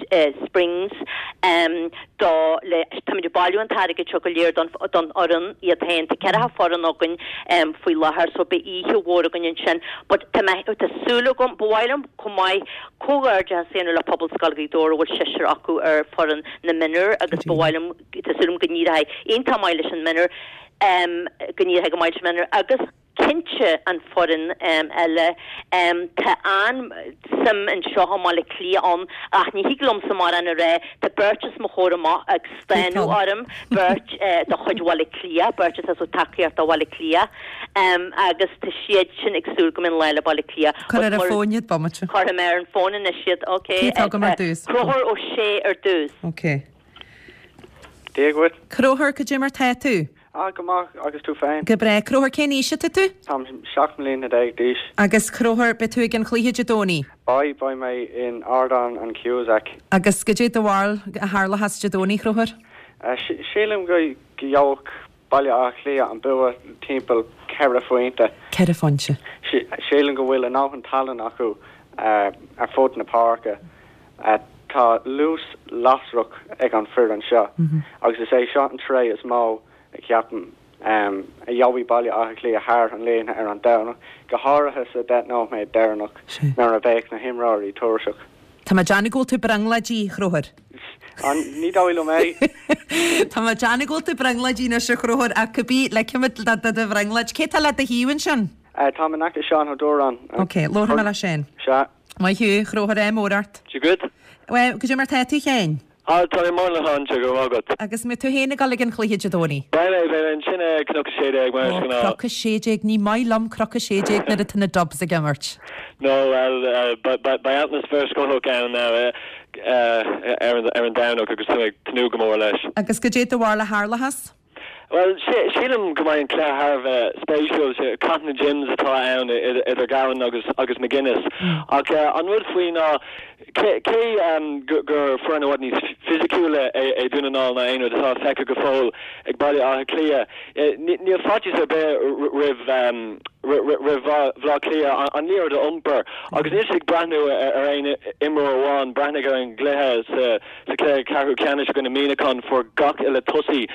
Springs do le táimid ag bailiú an t-airgead seo go léir don don fhoireann iad féin. Tá ceathracha foireann againn faoi láthair so beidh oíche mhór againn ansin. But tá mé tá súil agam, ba mhaith liom chomh maith comhghairdeachas a dhéanamh le Pobalscoil Ghaoth Dobhair a bhfuil seisear acu ar foireann na mionúr agus ba mhaith liom tá súil agam go n-éireoidh iontach maith leis an mionúr go n-éireoidh go maith leis an mionúr agus cinnte an foireann eile. Tá an-suim anseo i mBaile Átha Cliath ann ach ní thig liomsa mórán a rá. Tá beirt os mo chomhair amach ag stánadh orm, beirt de chuid Bhaile Átha Cliath, beirt atá ag tacaíocht do Bhaile Átha Cliath agus tá siad sin ag súil go mbeidh an lá le Baile Átha Cliath. Cuir ar an bhfón iad, bomaite. Cuirfidh mé ar an bhfón anois iad, ok. Cé atá agam ar dtús? Conchúr Ó Sé ar dtús. Ok. Dia dhuit. Conchúr, cad é mar tá tú? Ah, go maith, agus tú féin? Go breá. Conchúr, cén aois atá tú? Táim seacht mbliana déag d'aois. Agus Conchúr, beidh tú ag an chluiche Dé Domhnaigh? Beidh, beidh mé in Ardán an Cusack. Agus cad é do bharúil a tharlóchas Dé Domhnaigh, Conchúr? Sílim go gheobhadh Baile Átha Cliath an bua timpeall ceithre phointe. Ceithre phointe. Sílim go bhfuil a ndóthain tallann acu ar fud na páirce. Tá luas lasrach ag an foireann seo agus is é seo an tréith is mó a cheapaim a gheobhaidh Baile Átha Cliath thar an líne ar an Domhnach, go háirithe sa deich nóiméad deireanach nuair a bheadh na himreoirí tuirseach. Tá mé ag déanamh go bhfuil tú brionglóidí, a Chonchúir. Ní dóigh liom é. Tá mé ag déanamh go bhfuil tú brionglóidí anois, a Chonchúir, ach cibé, ligfimid do do bhrionglóid. Cé tá le do thaobh ansin? Táim in aice Seán Ó Dúráin. Ok, labharfaidh mé le Seán. Sea. Maith thú, a Chonchúir, ádh mór ort. Dia dhuit. Bhuel, cad é mar tá tú féin? Ah, tá mé maith a Sheáin, go raibh maith agat. Agus an mbeidh tú féin ag dul ag an chluiche Dé Domhnaigh? Beidh mé, beidh mé ansin ag Cnoc a Sé Déag mar is Ó, gnáth. Cnoc a Sé Déag, ní maith liom Cnoc a Sé Déag nuair atá na Dubs ag imirt. No, bhuel, beidh atmaisféar scothach ann ar an Domhnach agus tá mé ag tnúth go mór leis. Agus cad é do bharúil a tharlóchas? Bhuel, sílim go mbeidh an cluiche thar a bheith spéisiúil. Cath na Jims atá ann idir Gavin agus agus McGuinness. Ach an rud faoi ná cé gur foireann i bhfad níos fisiciúla é Dún na nGall ná aon rud atá feicthe go fóill ag Baile Átha Cliath, níl faitíos ar bith roimh roimh Bhaile Átha Cliath an liathróid a iompar. Agus níl siad ag breathnú ar aon imreoir amháin, breathnaigh ar an gcluiche sa Sa chluiche ceathrú ceannais i gcoinne Muineachán fuair gach uile tosaí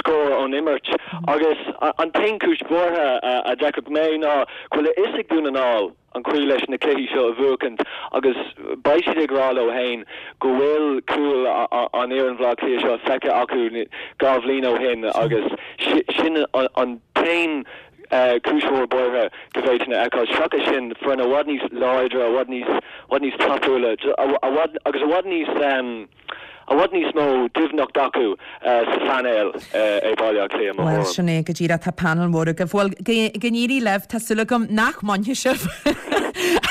scór ón imirt agus an t-aon chúis bhuartha a d'fheicfeadh mé ná go bhfuil a fhios ag Dún na nGall an chaoi leis na cluichí seo a bhuachaint agus beidh siad ag rá leo féin go bhfuil cúl an fhoireann Bhaile Átha Cliath seo feicthe acu dhá bhliain ó shin agus sin an t-aon cúis mhór buartha go bhféadfainn a fheiceáil. Seachas sin, foireann i bhfad níos láidre, i bhfad níos, i bhfad níos tapúla agus i bhfad níos, i bhfad níos mó doimhneacht acu sa phainéal é Baile Átha Cliath, i mo Bhuel, thuairim. sin é go díreach, tá panel mór agaibh. Bhuel, go n-éirí libh, tá súil agam nach mbainfidh sibh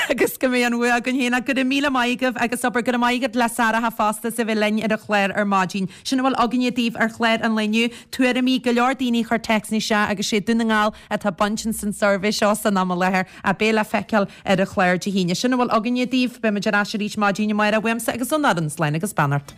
agus go mbeidh an bhua againn féin. Ach go raibh míle maith agaibh agus abair go raibh maith agat le Sarah fosta as a bheith linn ar an chlár ar maidin. Sin a bhfuil againne daoibh ar chlár an lae inniu. Tuairimí, go leor daoine a chuir téacsanna isteach agus sé Dún na nGall atá bainte san suirbhé seo san am i láthair ach beidh le feiceáil ar an chlár Dé hAoine. Sin a bhfuil againne daoibh. Beimid ar ais arís maidin amárach uaimse agus ón fhoireann. Slán agus beannacht.